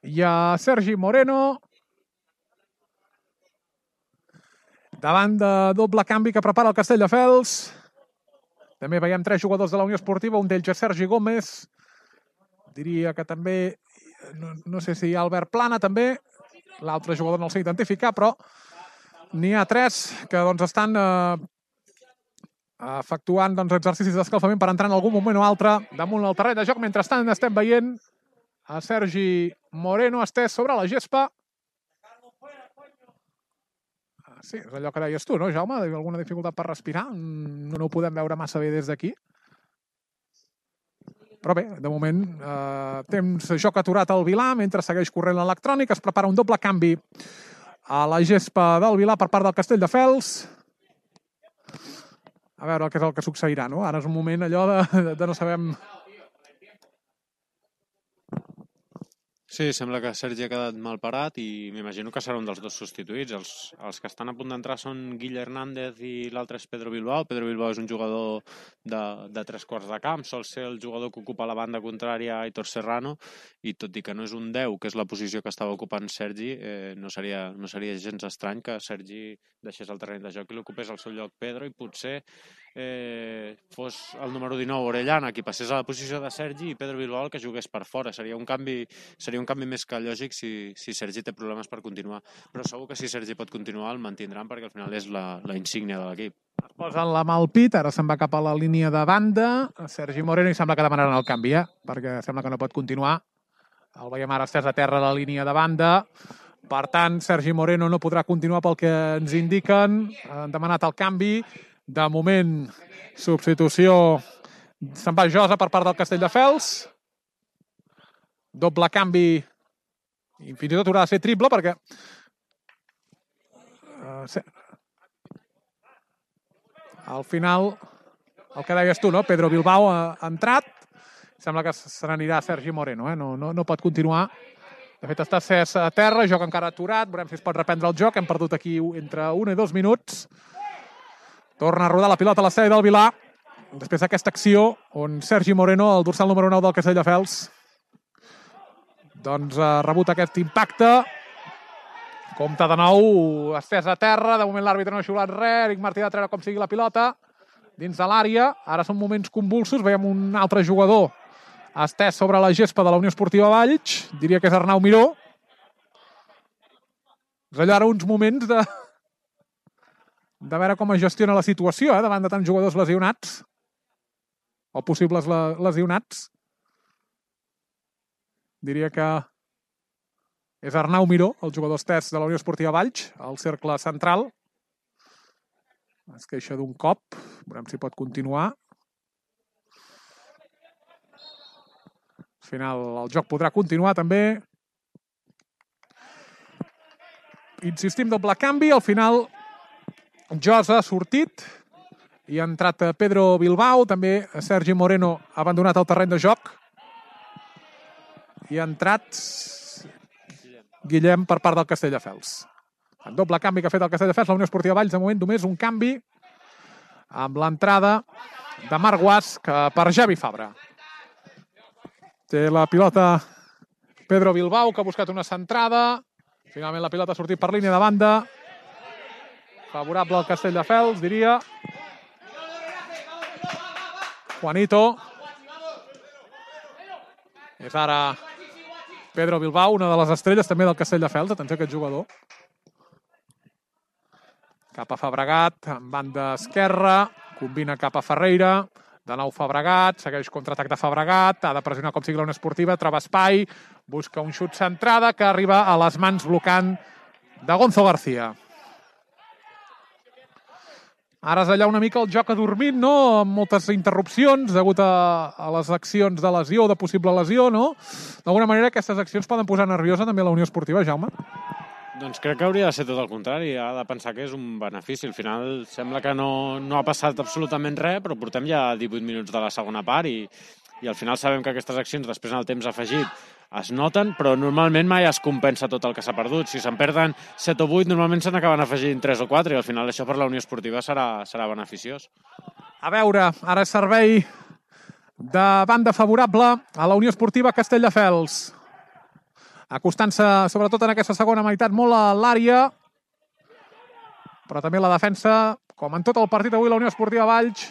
i a Sergi Moreno. Davant de doble canvi que prepara el Castelldefels. També veiem tres jugadors de la Unió Esportiva, un d'ells és Sergi Gómez. Diria que també, no, no sé si hi ha Albert Plana també, l'altre jugador no el sé identificar, però n'hi ha tres que doncs, estan eh, efectuant doncs, exercicis d'escalfament per entrar en algun moment o altre damunt el terreny de joc. Mentrestant estem veient a Sergi Moreno estès sobre la gespa. Sí, és allò que deies tu, no, Jaume? Alguna dificultat per respirar? No, no ho podem veure massa bé des d'aquí. Però bé, de moment, eh, temps joc aturat al Vilà, mentre segueix corrent l'electrònic. Es prepara un doble canvi a la gespa del Vilà per part del Castelldefels. A veure què és el que succeirà, no? Ara és un moment allò de, de no sabem... Sí, sembla que Sergi ha quedat mal parat i m'imagino que serà un dels dos substituïts. Els, els que estan a punt d'entrar són Guille Hernández i l'altre és Pedro Bilbao. Pedro Bilbao és un jugador de, de tres quarts de camp, sol ser el jugador que ocupa la banda contrària a Aitor Serrano, i tot i que no és un deu, que és la posició que estava ocupant Sergi, eh, no, seria, no seria gens estrany que Sergi deixés el terreny de joc i l'ocupés al seu lloc Pedro, i potser eh, fos el número dinou Orellana qui passés a la posició de Sergi i Pedro Bilbao el que jugués per fora. Seria un canvi, seria un canvi més que lògic si, si Sergi té problemes per continuar, però segur que si Sergi pot continuar el mantindran perquè al final és la, la insígnia de l'equip. Es posen la mà al pit, ara se'n va cap a la línia de banda Sergi Moreno i sembla que demanaran el canvi, eh? Perquè sembla que no pot continuar. El veiem ara estès a terra a la línia de banda. Per tant, Sergi Moreno no podrà continuar pel que ens indiquen. Han demanat el canvi. De moment, substitució, se'n va Josa per part del Castelldefels. Doble canvi, i fins i tot haurà de ser triple perquè... Uh, se... Al final, el que deies tu, no? Pedro Bilbao ha, ha entrat. Sembla que se n'anirà Sergi Moreno, eh? No, no, no pot continuar. De fet, està Cés a terra, joc encara aturat. Veurem si es pot reprendre el joc. Hem perdut aquí entre un i dos minuts. Torna a rodar la pilota a l'estrella del Vilà. Després d'aquesta acció, on Sergi Moreno, el dorsal número nou del Castelldefels, doncs ha rebut aquest impacte. Compte de nou, estès a terra. De moment l'àrbitre no ha xiulat res. Eric Martí ha de treure com sigui la pilota dins de l'àrea. Ara són moments convulsos. Veiem un altre jugador estès sobre la gespa de la Unió Esportiva Valls. Diria que és Arnau Miró. És allò ara uns moments de... de veure com es gestiona la situació, eh, davant de tants jugadors lesionats o possibles lesionats. Diria que és Arnau Miró, el jugador estès de la Unió Esportiva Valls, al cercle central. Es queixa d'un cop. Veurem si pot continuar. Al final el joc podrà continuar també. Insistim, doble canvi. Al final Josa ha sortit i ha entrat Pedro Bilbao. També Sergi Moreno ha abandonat el terreny de joc. I ha entrat Guillem per part del Castelldefels. En doble canvi que ha fet el Castelldefels, la Unió Esportiva Valls, de moment només un canvi amb l'entrada de Marc Guasch per Javi Fabra. Té la pilota Pedro Bilbao, que ha buscat una centrada. Finalment la pilota ha sortit per línia de banda. Favorable al Castelldefels, diria. Juanito. És ara Pedro Bilbao, una de les estrelles també del Castelldefels. Atenció a aquest jugador. Cap a Fabregat, en banda esquerra. Combina cap a Ferreira. De nou Fabregat, segueix contraatac de Fabregat. Ha de pressionar com sigui la Unió Esportiva. Troba espai. Busca un xut centrada que arriba a les mans blocant de Gonzo García. Ara és allà una mica el joc adormit, no? Amb moltes interrupcions degut a, a les accions de lesió, de possible lesió, no? D'alguna manera aquestes accions poden posar nerviosa també la Unió Esportiva, Jaume? Doncs crec que hauria de ser tot el contrari. Ha de pensar que és un benefici. Al final sembla que no, no ha passat absolutament res, però portem ja divuit minuts de la segona part i, i al final sabem que aquestes accions després en el temps afegit es noten, però normalment mai es compensa tot el que s'ha perdut. Si se'n perden set o vuit, normalment se n'acaben afegint tres o quatre, i al final això per la Unió Esportiva serà, serà beneficiós. A veure, ara és servei de banda favorable a la Unió Esportiva Castelldefels. Acostant-se, sobretot en aquesta segona meitat, molt a l'àrea, però també la defensa, com en tot el partit avui, la Unió Esportiva Valls,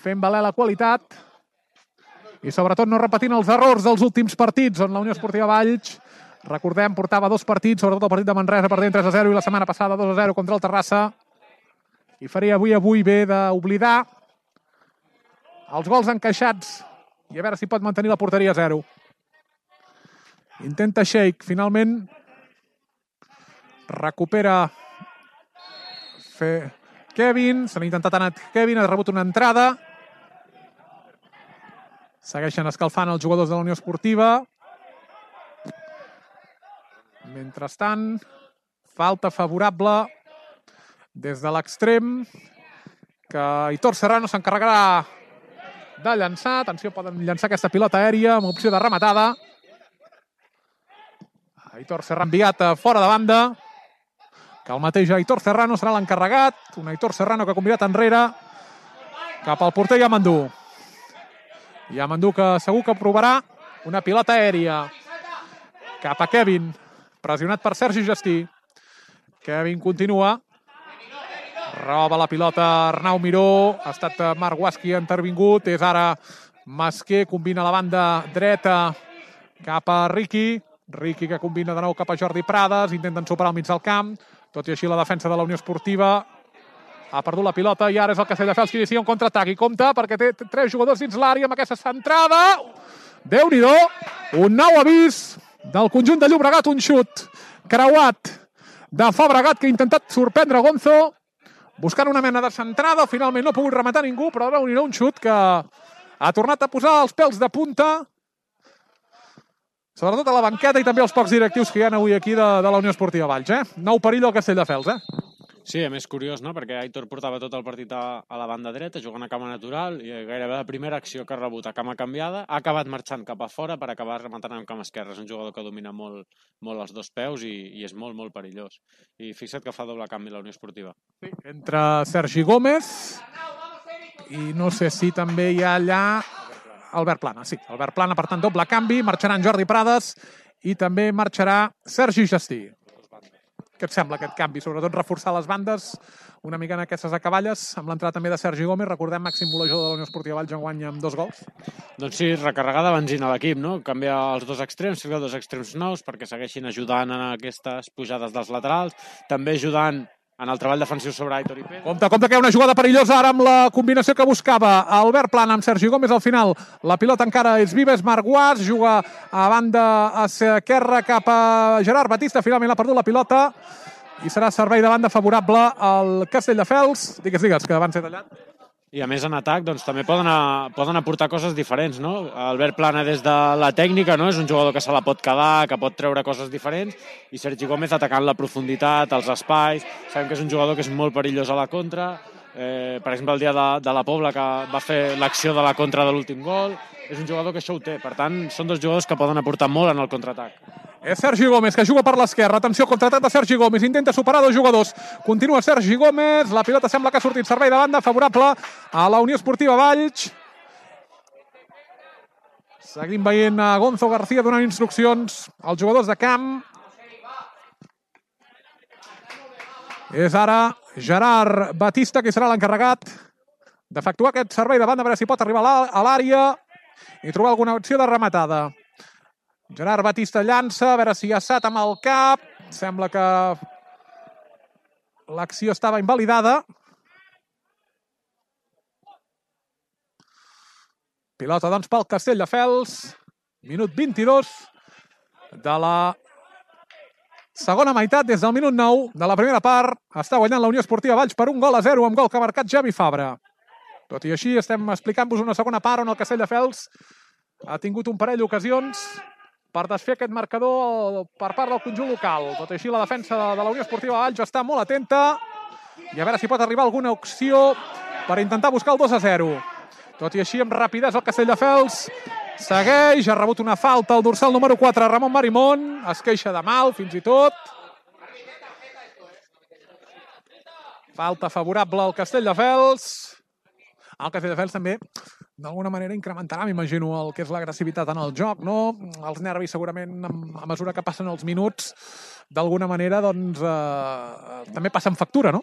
fent valer la qualitat i sobretot no repetint els errors dels últims partits, on la Unió Esportiva Valls, recordem, portava dos partits, sobretot el partit de Manresa, perdent tres a zero, i la setmana passada dos a zero contra el Terrassa, i faria avui avui bé d'oblidar els gols encaixats i a veure si pot mantenir la porteria a zero. Intenta Sheik, finalment recupera fer Kevin, se n'ha intentat anar Kevin, ha rebut una entrada. Segueixen escalfant els jugadors de la Unió Esportiva. Mentrestant, falta favorable des de l'extrem, que Aitor Serrano s'encarregarà de llançar. Atenció, poden llançar aquesta pilota aèria amb opció de rematada. Aitor Serrano enviat fora de banda, que el mateix Aitor Serrano serà l'encarregat. Un Aitor Serrano que ha convidat enrere cap al porter Yamandú. Yamandú que segur que provarà una pilota aèria cap a Kevin, pressionat per Sergi Gestí. Kevin continua, roba la pilota Arnau Miró, ha estat Marc Guasqui intervingut, és ara Masquer, combina la banda dreta cap a Riqui, Riqui que combina de nou cap a Jordi Prades, intenten superar al mig del camp, tot i així la defensa de la Unió Esportiva ha perdut la pilota i ara és el Castelldefels que inicia un contraatac i compta perquè té tres jugadors dins l'àrea amb aquesta centrada. Déu-n'hi-do, un nou avís del conjunt de Llobregat, un xut creuat de Fabregat que ha intentat sorprendre Gonzo buscant una mena de centrada, finalment no ha pogut rematar ningú, però Déu-n'hi-do, un xut que ha tornat a posar els pèls de punta, sobretot a la banqueta i també els pocs directius que hi ha avui aquí de, de la Unió Esportiva Valls. Eh? Nou perill al Castelldefels, eh? Sí, a més curiós, no? Perquè Aitor portava tot el partit a, a la banda dreta, jugant a cama natural, i gairebé la primera acció que ha rebut a cama canviada, ha acabat marxant cap a fora per acabar rematant amb cama esquerra. És un jugador que domina molt, molt els dos peus i, i és molt, molt perillós. I fixa't que fa doble canvi la Unió Esportiva. Sí, entre Sergi Gómez i no sé si també hi ha allà Albert Plana. Sí, Albert Plana, per tant, doble canvi, marxaran Jordi Prades i també marxarà Sergi Gestí. Què et sembla aquest canvi? Sobretot reforçar les bandes una mica en aquestes acaballes, amb l'entrada també de Sergi Gómez, recordem, màxim golejador de la Unió Esportiva Valls, enguany amb dos gols. Doncs sí, recarregar de benzina a l'equip, no? Canviar els dos extrems, ficar dos extrems nous perquè segueixin ajudant en aquestes pujades dels laterals, també ajudant en el treball defensiu sobre Aitor i Pedro. Compte, compte que hi ha una jugada perillosa ara amb la combinació que buscava Albert Plana amb Sergi Gómez. Al final la pilota encara és viva, és Marc Guas, juga a banda esquerra cap a Gerard Batista, finalment ha perdut la pilota i serà servei de banda favorable al Castelldefels. Digues, digues, que abans he tallat. I a més en atac doncs, també poden, a, poden aportar coses diferents, no? Albert Plana des de la tècnica, no? És un jugador que se la pot quedar, que pot treure coses diferents, i Sergi Gómez atacant la profunditat, els espais. Sabem que és un jugador que és molt perillós a la contra. Eh, per exemple, el dia de, de la Pobla, que va fer l'acció de la contra de l'últim gol. És un jugador que això ho té. Per tant, són dos jugadors que poden aportar molt en el contraatac. És Sergi Gómez, que juga per l'esquerra. Atenció, contraatac de Sergi Gómez. Intenta superar dos jugadors. Continua Sergi Gómez. La pilota sembla que ha sortit servei de banda favorable a la Unió Esportiva Valls. Seguim veient a Gonzo García donant instruccions als jugadors de camp. És ara Gerard Batista, que serà l'encarregat d'efectuar aquest servei de banda, a veure si pot arribar a l'àrea i trobar alguna opció de rematada. Gerard Batista llança, a veure si ha assat amb el cap. Sembla que l'acció estava invalidada. Pilota, doncs, pel Castelldefels. Minut vint-i-dos de la segona meitat, des del minut nou de la primera part. Està guanyant la Unió Esportiva Valls per un gol a zero, amb gol que ha marcat Javi Fabra. Tot i així, estem explicant-vos una segona part on el Castelldefels ha tingut un parell d'ocasions per desfer aquest marcador per part del conjunt local. Tot i així, la defensa de la Unió Esportiva Valls està molt atenta i a veure si pot arribar alguna opció per intentar buscar el dos a zero. Tot i així, amb rapidesa, el Castelldefels segueix, ha rebut una falta al dorsal número quatre, Ramon Marimón, es queixa de mal, fins i tot. Falta favorable al Castelldefels. El Castelldefels també, d'alguna manera, incrementarà, m'imagino, el que és l'agressivitat en el joc, no? Els nervis, segurament, a mesura que passen els minuts, d'alguna manera, doncs, eh, també passen factura, no?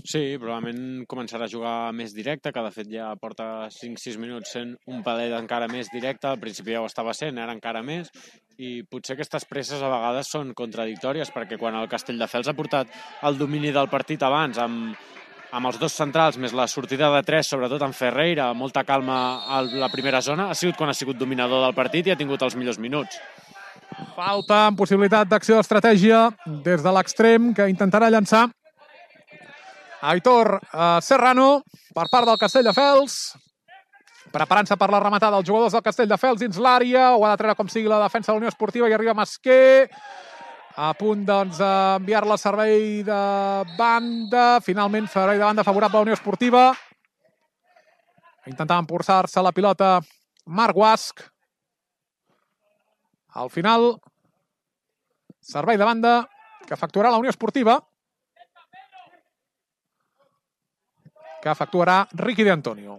Sí, probablement començarà a jugar més directe, que de fet ja porta cinc sis minuts sent un palet encara més directe, al principi ja ho estava sent, ara encara més, i potser aquestes presses a vegades són contradictòries, perquè quan el Castelldefels ha portat el domini del partit abans, amb, amb els dos centrals, més la sortida de tres, sobretot en Ferreira, molta calma a la primera zona, ha sigut quan ha sigut dominador del partit i ha tingut els millors minuts. Falta amb possibilitat d'acció d'estratègia des de l'extrem, que intentarà llançar Aitor eh, Serrano per part del Castelldefels, preparant-se per la rematada dels jugadors del Castelldefels dins l'àrea, ho ha de treure com sigui la defensa de la Unió Esportiva, i arriba Masquer, a punt doncs d'enviar-la al servei de banda, finalment servei de banda favorable a la Unió Esportiva, intentava emporçar-se la pilota Marc Guasch, al final servei de banda que efectuarà la Unió Esportiva, que efectuarà Ricky de Antonio.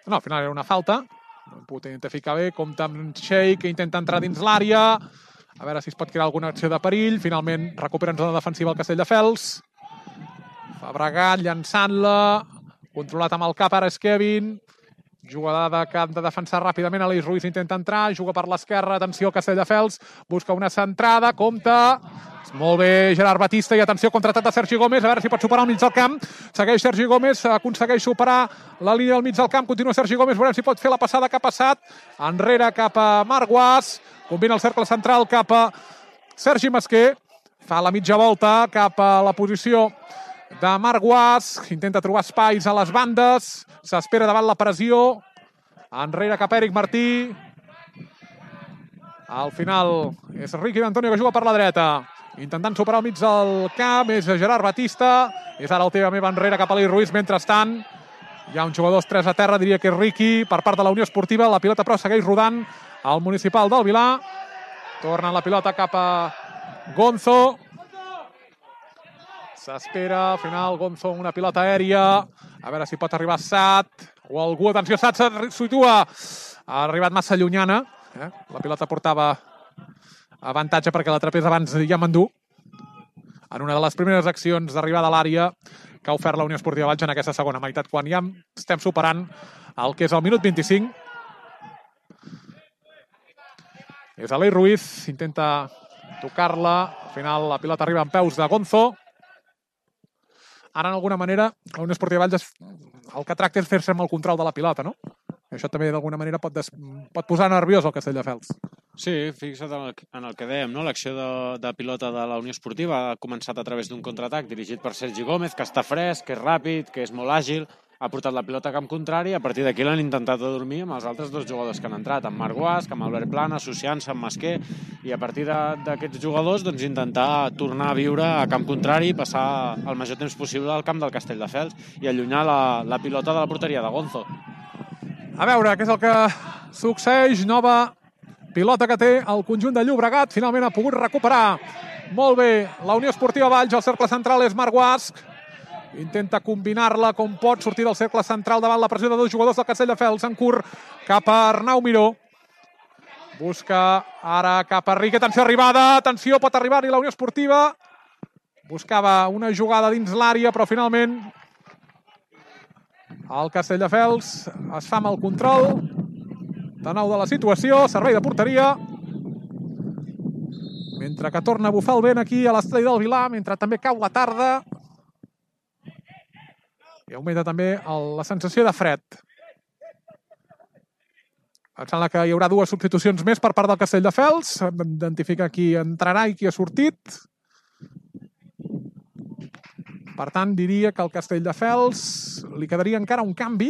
No, al final era una falta. No hem pogut identificar bé. Compta amb Sheik, que intenta entrar dins l'àrea. A veure si es pot crear alguna acció de perill. Finalment recupera en zona defensiva el Castelldefels. Fabregat llançant-la. Controlat amb el cap, ara és Kevin. Jugada que han de defensar ràpidament. Aleix Ruiz intenta entrar, juga per l'esquerra. Atenció, Castelldefels busca una centrada. Compta. Molt bé, Gerard Batista, i atenció, contraatac de Sergi Gómez, a veure si pot superar el mig del camp. Segueix Sergi Gómez, aconsegueix superar la línia del mig del camp, continua Sergi Gómez, veurem si pot fer la passada que ha passat. Enrere cap a Marc Guasch, combina el cercle central cap a Sergi Masquer, fa la mitja volta cap a la posició de Marc Guasch, intenta trobar espais a les bandes, s'espera davant la pressió, enrere cap a Eric Martí. Al final és Ricky d'Antonio que juga per la dreta, intentant superar el mig del camp, és Gerard Batista, és ara el teva meva enrere cap a Aleix Ruiz. Mentrestant, hi ha un jugador tres a terra, diria que és Ricky, per part de la Unió Esportiva. La pilota però segueix rodant al municipal del Vilar. Torna la pilota cap a Gonzo. S'espera, al final, Gonzo amb una pilota aèria. A veure si pot arribar Sat, o algú, atenció, Sat se situa. Ha arribat massa llunyana. Eh? La pilota portava avantatge perquè l'atrapés abans ja m'endú en una de les primeres accions d'arribada a l'àrea que ha ofert la Unió Esportiva Valls en aquesta segona meitat, quan ja estem superant el que és el minut vint-i-cinc. És Aleix Ruiz, intenta tocar-la, al final la pilota arriba en peus de Gonzo. Ara, d'alguna manera, la Unió Esportiva Valls el que tracta és fer-se amb el control de la pilota, no? Això també, d'alguna manera, pot, des... pot posar nerviós el Castelldefels. Sí, fixa't en el, en el que dèiem, no? L'acció de, de pilota de la Unió Esportiva ha començat a través d'un contraatac dirigit per Sergi Gómez, que està fresc, que és ràpid, que és molt àgil, ha portat la pilota a camp contrari, i a partir d'aquí l'han intentat adormir amb els altres dos jugadors que han entrat, amb Marc Guasch, amb Albert Plana, associant-se amb Masquer, i a partir d'aquests jugadors doncs, intentar tornar a viure a camp contrari, passar el major temps possible al camp del Castelldefels i allunyar la, la pilota de la porteria de Gonzo. A veure, què és el que succeeix? Nova pilota que té el conjunt de Llobregat. Finalment ha pogut recuperar molt bé la Unió Esportiva Valls. El cercle central és Marc Guasch. Intenta combinar-la com pot, sortir del cercle central davant la pressió de dos jugadors del Castelldefels. En curt cap a Arnau Miró. Busca ara cap a Riqui. Atenció, arribada. Atenció, pot arribar-hi la Unió Esportiva. Buscava una jugada dins l'àrea, però finalment el Castelldefels es fa amb el control de nou de la situació, servei de porteria, mentre que torna a bufar el vent aquí a l'estadi del Vilar, mentre també cau la tarda i augmenta també el, la sensació de fred. Em sembla que hi haurà dues substitucions més per part del Castelldefels. Hem d'identificar qui entrarà i qui ha sortit. Per tant, diria que al Castelldefels li quedaria encara un canvi.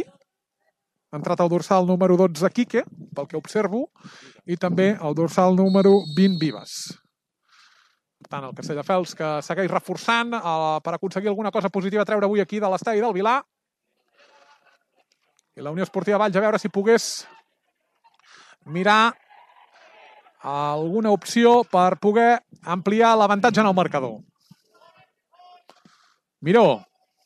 Ha entrat el dorsal número dotze, Quique, pel que observo, i també el dorsal número vint, Vives. Per tant, el Castelldefels que segueix reforçant eh, per aconseguir alguna cosa positiva a treure avui aquí de l'estadi del Vilar. I la Unió Esportiva Valls, a veure si pogués mirar alguna opció per poder ampliar l'avantatge en el marcador. Miró.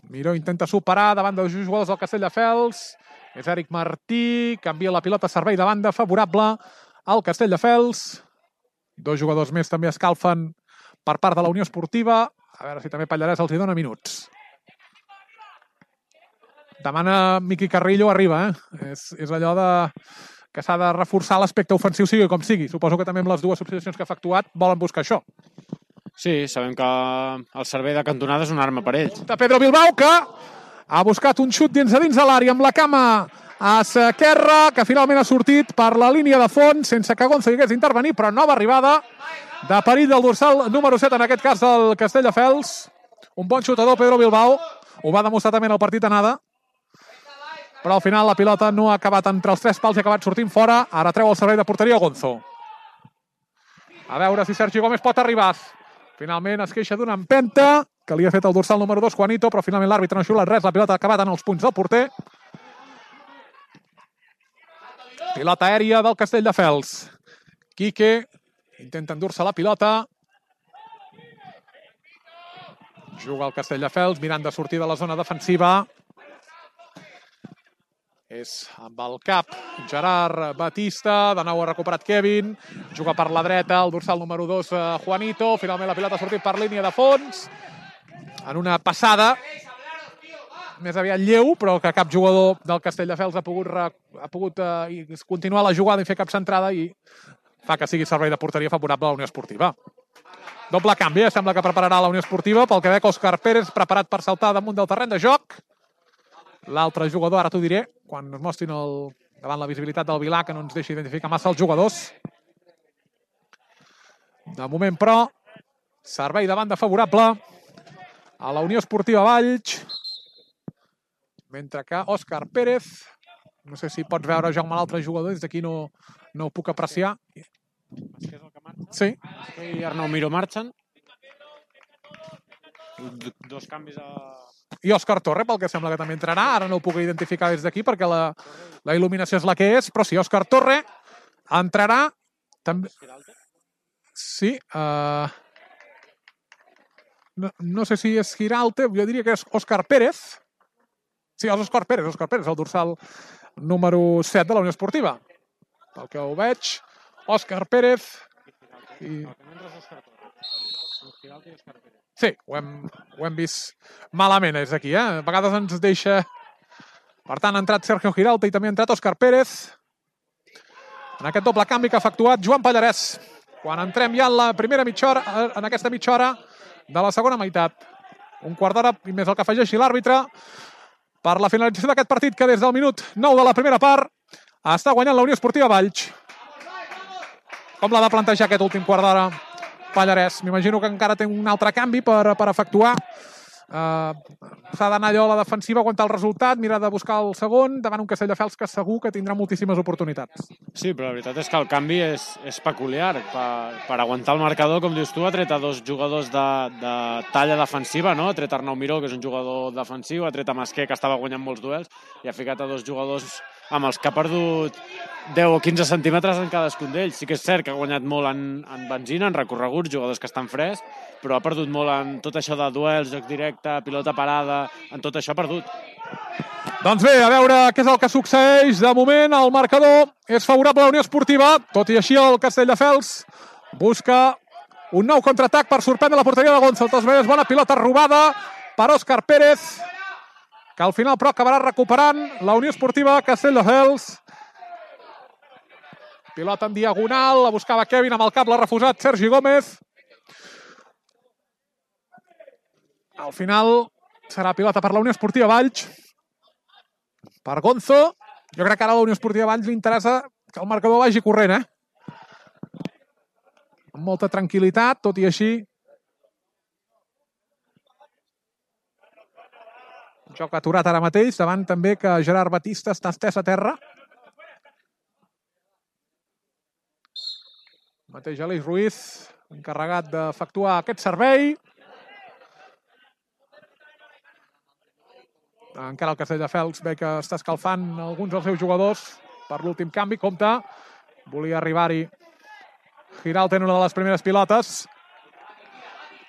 Miró intenta superar davant dels jugadors del Castelldefels. És Eric Martí, canvia la pilota a servei de banda, favorable al Castelldefels. Dos jugadors més també escalfen per part de la Unió Esportiva. A veure si també Pallarès els hi dona minuts. Demana Miqui Carrillo, arriba, eh? És, és allò de que s'ha de reforçar l'aspecte ofensiu, sigui com sigui. Suposo que també amb les dues substitucions que ha efectuat volen buscar això. Sí, sabem que el servei de cantonada és una arma per ells. De Pedro Bilbao, que ha buscat un xut dins a dins de l'àrea amb la cama a esquerra, que finalment ha sortit per la línia de fons, sense que Gonzo hi hagués d'intervenir, però nova arribada de perill del dorsal número set, en aquest cas del Castelldefels. Un bon xutador, Pedro Bilbao. Ho va demostrar també en el partit anada. Però al final la pilota no ha acabat entre els tres pals i ha acabat sortint fora. Ara treu el servei de porteria Gonzo. A veure si Sergi Gómez pot arribar. Finalment es queixa d'una empenta que li ha fet el dorsal número dos, Juanito, però finalment l'àrbitre no ha xiulat res. La pilota ha acabat en els punts del porter. Pilota aèria del Castelldefels. Quique intenta endur-se la pilota. Juga el Castelldefels mirant de sortir de la zona defensiva. És amb el cap Gerard Batista, de nou ha recuperat Kevin, juga per la dreta, el dorsal número dos, Juanito, finalment la pilota ha sortit per línia de fons, en una passada més aviat lleu, però que cap jugador del Castelldefels ha pogut, ha pogut eh, continuar la jugada i fer cap centrada i fa que sigui servei de porteria favorable a la Unió Esportiva. Doble canvi, eh? Sembla que prepararà la Unió Esportiva, pel que veig Òscar Pérez preparat per saltar damunt del terreny de joc. L'altre jugador, ara t'ho diré, quan es mostrin el, davant la visibilitat del Vilà, que no ens deixi identificar massa els jugadors. De moment, però, servei de banda favorable a la Unió Esportiva Valls, mentre que Òscar Pérez, no sé si pots veure jo amb l'altre jugador, des d'aquí no, no ho puc apreciar. Masquer és el que marxa? Sí. Masquer i Arnau Miró marxen. Dos canvis a... I Òscar Torre, pel que sembla que també entrarà. Ara no ho puc identificar des d'aquí perquè la, la il·luminació és la que és, però sí, Òscar Torre entrarà. També... Sí. Uh... No, no sé si és Giralte, jo diria que és Òscar Pérez. Sí, és Òscar Pérez, Òscar Pérez, el dorsal número set de la Unió Esportiva. Pel que ho veig, Òscar Pérez. I... Sí, ho hem, ho hem vist malament, és aquí, eh? A vegades ens deixa... Per tant, ha entrat Sergio Giralta i també ha entrat Òscar Pérez. En aquest doble canvi que ha efectuat Joan Pallarès. Quan entrem ja en la primera mitja hora, en aquesta mitja hora de la segona meitat. Un quart d'hora i més el que afegeixi l'àrbitre per la finalització d'aquest partit que des del minut nou de la primera part està guanyant la Unió Esportiva Valls. Com l'ha de plantejar aquest últim quart d'hora Pallarès? M'imagino que encara té un altre canvi per, per efectuar. Uh, s'ha d'anar allò a la defensiva, aguantar el resultat, mirar de buscar el segon, davant un Castelldefels que segur que tindrà moltíssimes oportunitats. Sí, però la veritat és que el canvi és, és peculiar. Per, per aguantar el marcador, com dius tu, ha tret a dos jugadors de, de talla defensiva, no? Ha tret Arnau Miró, que és un jugador defensiu, ha tret a Masquer, que estava guanyant molts duels, i ha ficat a dos jugadors amb els que ha perdut deu o quinze centímetres en cadascun d'ells. Sí que és cert que ha guanyat molt en, en benzina, en recorreguts, jugadors que estan freds, però ha perdut molt en tot això de duels, joc directe, pilota parada, en tot això ha perdut. Doncs bé, a veure què és el que succeeix. De moment el marcador és favorable a la Unió Esportiva, tot i així el Castelldefels busca un nou contraatac per sorprendre la porteria de Gonzo. Tots bé, bona pilota robada per Òscar Pérez, que al final però acabarà recuperant la Unió Esportiva Castelldefels. Pilota en diagonal, la buscava Kevin, amb el cap l'ha refusat Sergi Gómez. Al final serà pilota per la Unió Esportiva Valls, per Gonzo. Jo crec que ara a la Unió Esportiva Valls li interessa que el marcador vagi corrent, eh? Amb molta tranquil·litat, tot i així. Joc aturat ara mateix, davant també que Gerard Batista està estès a terra. Mateix Aleix Ruiz, encarregat d'efectuar aquest servei. Encara el Castelldefels ve que està escalfant alguns dels seus jugadors per l'últim canvi. Compte Volia arribar-hi Giralt en una de les primeres pilotes,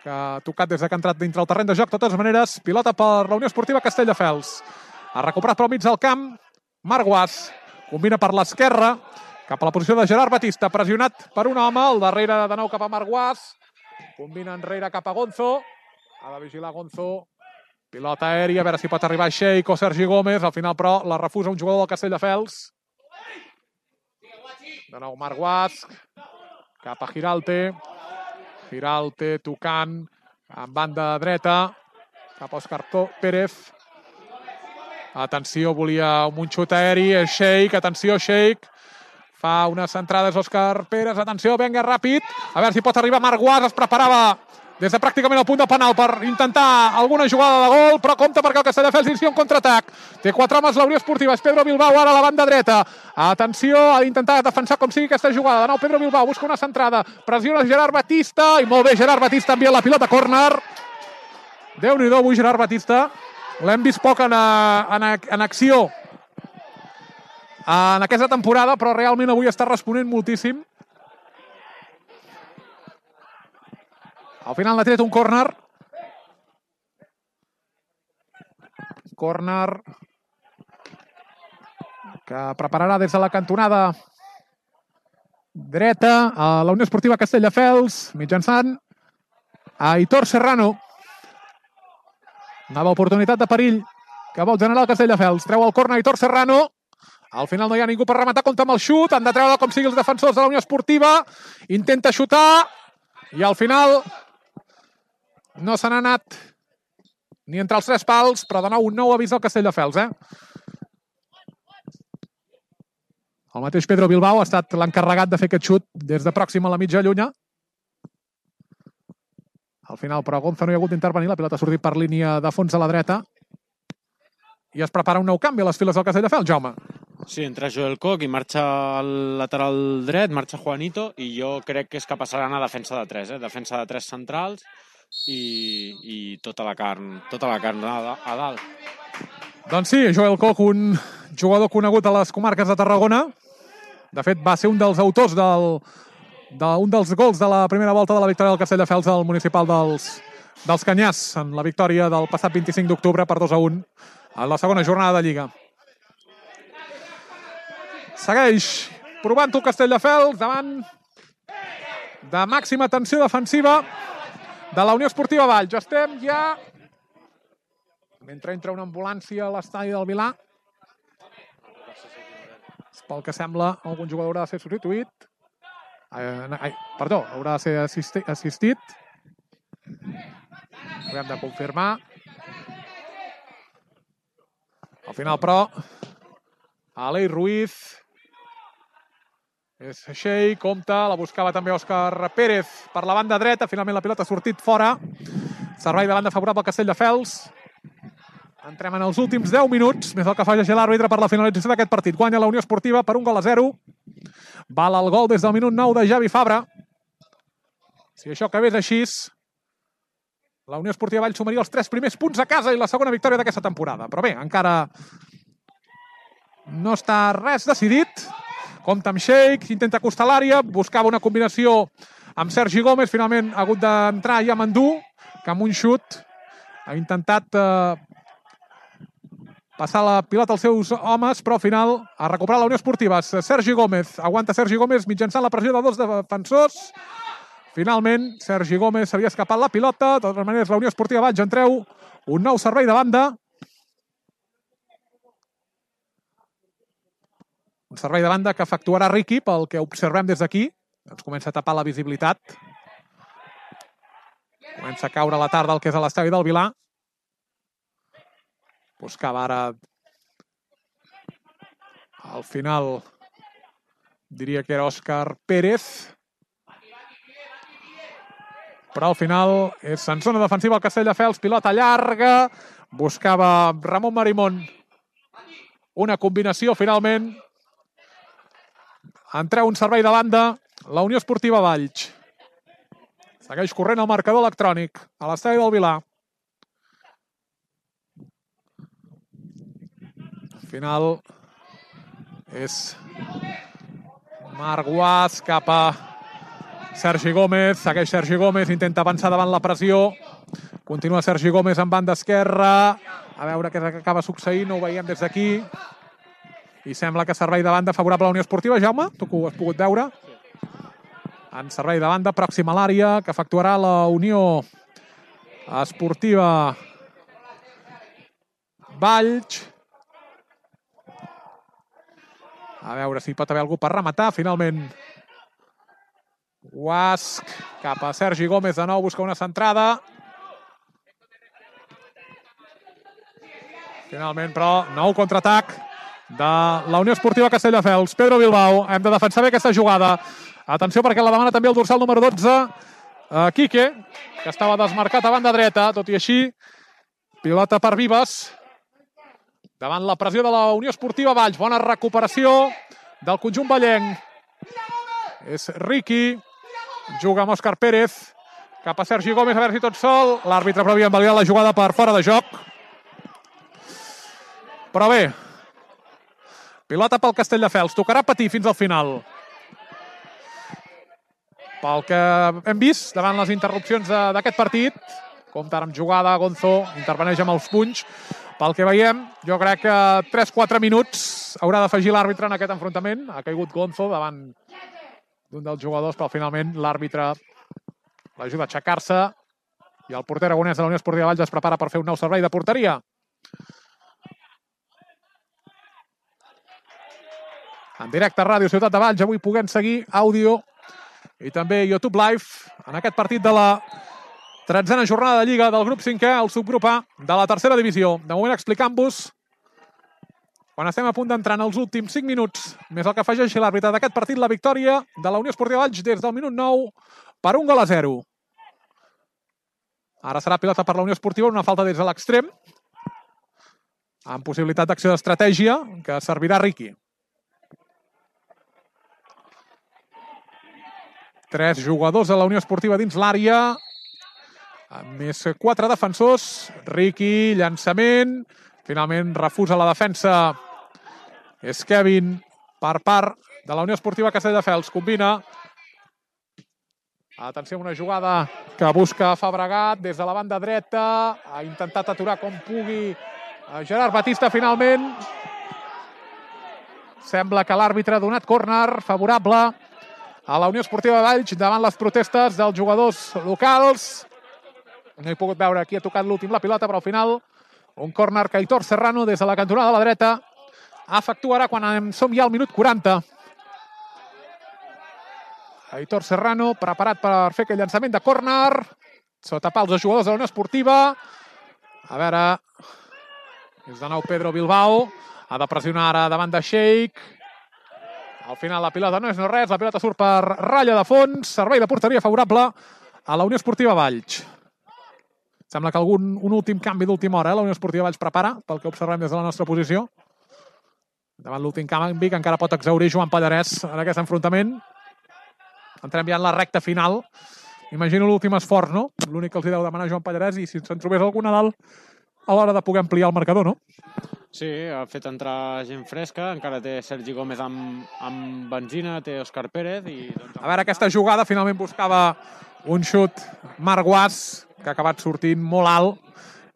que ha tocat des que ha entrat dintre el terreny de joc. De totes maneres, pilota per la Unió Esportiva Castelldefels. Ha recuperat pel mig del camp Marc Guas. Combina per l'esquerra, cap a la posició de Gerard Batista, pressionat per un home, al darrere de nou cap a Marc Guas. Combina enrere cap a Gonzo. Ha de vigilar Gonzo. Pilota aèria, a veure si pot arribar Sheik o Sergi Gómez. Al final, però, la refusa un jugador del Castelldefels. De nou Marc Guas. Cap a Giralte. Giralte tocant en banda dreta. Cap a Òscar Pérez. Atenció, volia un xut aeri. Sheik, atenció, Sheik. Fa unes centrades Òscar Pérez. Atenció, venga, ràpid. A veure si pot arribar Marc Guas. Es preparava des de pràcticament el punt de penal per intentar alguna jugada de gol, però compta perquè el Castelldefels inicia un contraatac. Té quatre homes la Unió Esportiva. És Pedro Bilbao ara a la banda dreta. Atenció, ha d'intentar defensar com sigui aquesta jugada. De nou Pedro Bilbao busca una centrada. Pressiona Gerard Batista. I molt bé, Gerard Batista envia la pilota a córner. Déu-n'hi-do avui Gerard Batista. L'hem vist poc en, en, en acció en aquesta temporada, però realment avui està responent moltíssim. Al final n'ha tret un córner. Córner que prepararà des de la cantonada dreta a la Unió Esportiva Castelldefels, mitjançant a Aitor Serrano. Nova oportunitat de perill que vol generar el Castelldefels. Treu el córner Aitor Serrano. Al final no hi ha ningú per rematar, compta amb el xut. Han de treure com sigui els defensors de la Unió Esportiva. Intenta xutar i al final no se n'ha anat ni entre els tres pals, però de nou un nou avís al Castelldefels, eh? El mateix Pedro Bilbao ha estat l'encarregat de fer aquest xut des de pròxim a la mitja llunya. Al final, però, Gonzo no hi ha hagut d'intervenir. La pilota ha sortit per línia de fons a la dreta. I es prepara un nou canvi a les files del Castelldefels, Jaume. Sí, entra Joel Koch i marxa al lateral dret, marxa Juanito, i jo crec que és que passaran a defensa de tres, eh? Defensa de tres centrals i, i tota la carn, tota la carn a, a dalt. Doncs sí, Joel Koch, un jugador conegut a les comarques de Tarragona. De fet, va ser un dels autors del, d'un dels gols de la primera volta de la victòria del Castelldefels al municipal dels, dels Canyars, en la victòria del passat vint-i-cinc d'octubre per dos a un en la segona jornada de Lliga. Segueix provant-ho el Castelldefels davant de màxima tensió defensiva de la Unió Esportiva Valls. Estem ja... Mentre entra una ambulància a l'estadi del Vilà. Pel que sembla, algun jugador haurà de ser substituït. Ai, perdó, haurà de ser assisti assistit. Ho hem de confirmar. Al final, però, Alei Ruiz és Shei, compta, la buscava també Òscar Pérez per la banda dreta. Finalment la pilota ha sortit fora. Servei de banda favorable al Castelldefels. Entrem en els últims deu minuts, més el que fa llegir l'àrbitre per la finalització d'aquest partit. Guanya la Unió Esportiva per un gol a zero. Val el gol des del minut nou de Javi Fabra. Si això acabés així, la Unió Esportiva Valls sumaria els tres primers punts a casa i la segona victòria d'aquesta temporada. Però bé, encara no està res decidit. Compta amb Sheik, intenta acostar l'àrea, buscava una combinació amb Sergi Gómez, finalment ha hagut d'entrar ja Mandú, que amb un xut ha intentat eh, passar la pilota als seus homes, però al final ha recuperat la Unió Esportiva. Sergi Gómez, aguanta Sergi Gómez mitjançant la pressió de dos defensors. Finalment, Sergi Gómez s'havia escapat la pilota. De totes maneres, la Unió Esportiva Valls en treu un nou servei de banda. Un servei de banda que efectuarà Riqui, pel que observem des d'aquí. Ens comença a tapar la visibilitat. Comença a caure la tarda el que és a l'estadi del Vilà. Buscava ara... Al final, diria que era Òscar Pérez. Però al final és en zona defensiva el Castelldefels. Pilota llarga. Buscava Ramon Marimón una combinació finalment. En treu un servei de banda la Unió Esportiva Valls. Segueix corrent el marcador electrònic a l'estadi del Vilà. Al final és Marc Guas cap a Sergi Gómez. Segueix Sergi Gómez, intenta avançar davant la pressió. Continua Sergi Gómez en banda esquerra. A veure què acaba succeint, no ho veiem des d'aquí. I sembla que servei de banda favorable a la Unió Esportiva. Jaume, tu que ho has pogut veure. En servei de banda, pròxim a l'àrea, que efectuarà la Unió Esportiva Valls. A veure si pot haver algú per rematar. Finalment, Guasc cap a Sergi Gómez. De nou busca una centrada. Finalment, però, nou contraatac de la Unió Esportiva Castelldefels. Pedro Bilbao, hem de defensar bé aquesta jugada. Atenció perquè la demana també el dorsal número dotze, Quique, que estava desmarcat a banda dreta, tot i així, pilota per Vives, davant la pressió de la Unió Esportiva Valls. Bona recuperació del conjunt vallenc. És Riqui, juga amb Òscar Pérez, cap a Sergi Gómez, a veure si tot sol. L'àrbitre però havia invalidat la jugada per fora de joc. Però bé, pilota pel Castelldefels. Tocarà patir fins al final. Pel que hem vist davant les interrupcions d'aquest partit, compta amb jugada, Gonzo interveneix amb els punys. Pel que veiem, jo crec que tres quatre minuts haurà d'afegir l'àrbitre en aquest enfrontament. Ha caigut Gonzo davant d'un dels jugadors, però finalment l'àrbitre l'ajuda a aixecar-se i el porter aragonès de la Unió Esportiva Valls es prepara per fer un nou servei de porteria. En directe a Ràdio Ciutat de Valls, avui puguem seguir àudio i també YouTube Live en aquest partit de la tretzena jornada de Lliga del grup cinquè, el subgrup A de la tercera divisió. De moment explicant-vos, quan estem a punt d'entrar en els últims cinc minuts, més el que afegeixi l'àrbitre d'aquest partit, la victòria de la Unió Esportiva Valls des del minut nou per un gol a zero. Ara serà pilota per la Unió Esportiva, una falta des de l'extrem, amb possibilitat d'acció d'estratègia que servirà Riqui. Tres jugadors de la Unió Esportiva dins l'àrea, més quatre defensors. Riqui, llançament, finalment refusa la defensa. És Kevin per part de la Unió Esportiva Castelldefels. Combina. Atenció a una jugada que busca Fabregat des de la banda dreta. Ha intentat aturar com pugui Gerard Batista finalment. Sembla que l'àrbitre ha donat córner favorable a la Unió Esportiva de Valls davant les protestes dels jugadors locals. No he pogut veure qui ha tocat l'últim la pilota, però al final un córner que Aitor Serrano des de la cantonada de la dreta efectuarà quan som ja al minut quaranta. Aitor Serrano preparat per fer aquell llançament de córner. Sota pals dels jugadors de la Unió Esportiva. A veure, és de nou Pedro Bilbao. Ha de pressionar ara davant de Sheik. Al final la pilota no és no res, la pilota surt per ratlla de fons, servei de porteria favorable a la Unió Esportiva Valls. Sembla que algun un últim canvi d'última hora, eh? La Unió Esportiva Valls prepara, pel que observem des de la nostra posició. Davant l'últim canvi que encara pot exaurir Joan Pallarès en aquest enfrontament. Entrem ja en la recta final. Imagino l'últim esforç, no? L'únic que els hi deu demanar Joan Pallarès i si se'n trobés algun a dalt a l'hora de poder ampliar el marcador, no? Sí, ha fet entrar gent fresca, encara té Sergi Gómez amb, amb benzina, té Òscar Pérez i... Doncs... A veure, aquesta jugada finalment buscava un xut Marc Guas, que ha acabat sortint molt alt,